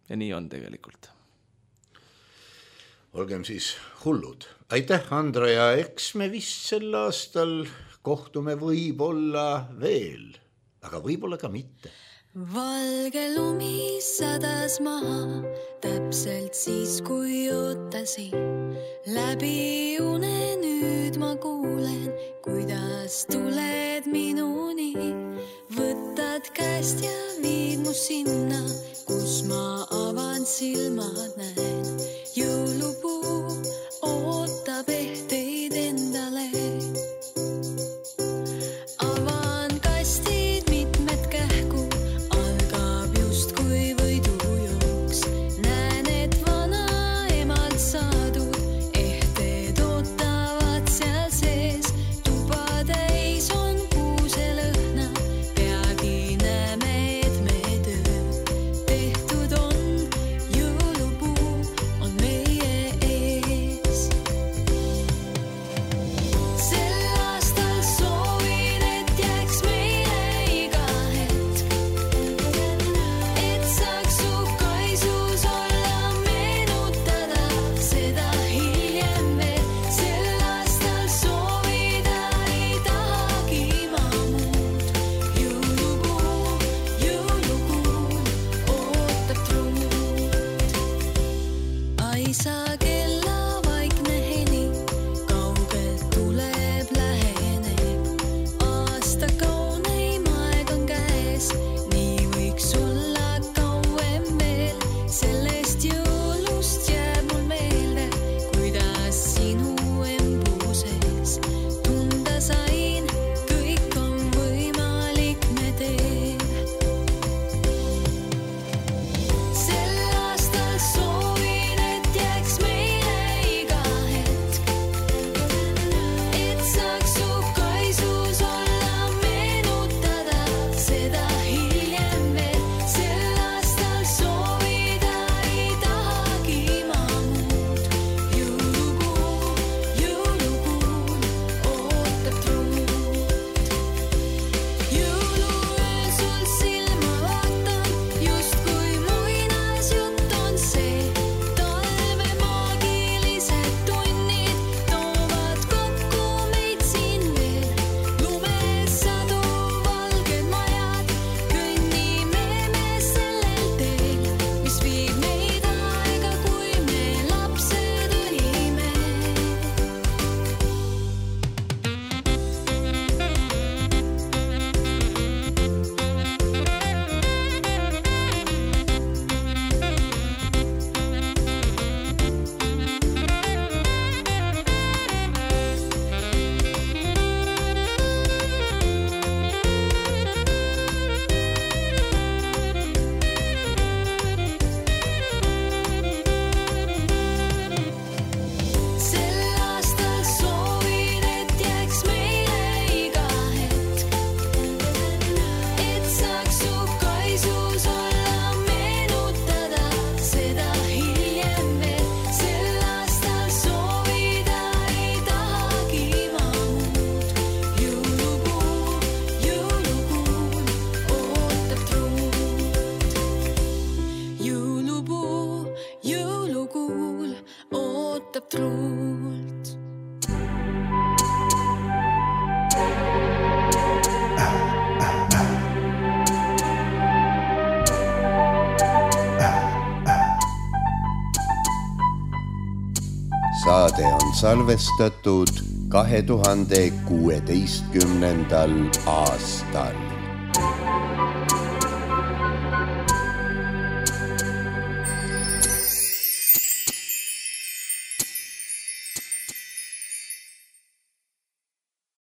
Ja nii on tegelikult. Olgem siis hullud. Aitäh, Andro, ja eks me vist sel aastal kohtume võib-olla veel, aga võib-olla ka mitte. Valge lumi sadas maha, täpselt siis, kui ootasin. Läbi une nüüd ma kuulen, kuidas tuled minuni. Võtad käest ja viid mu sinna, kus ma avan silmad näen. Jõulupuu ootab ehteid endale. Tehtud on jõulupuu. Saade on salvestatud 2016. aastal.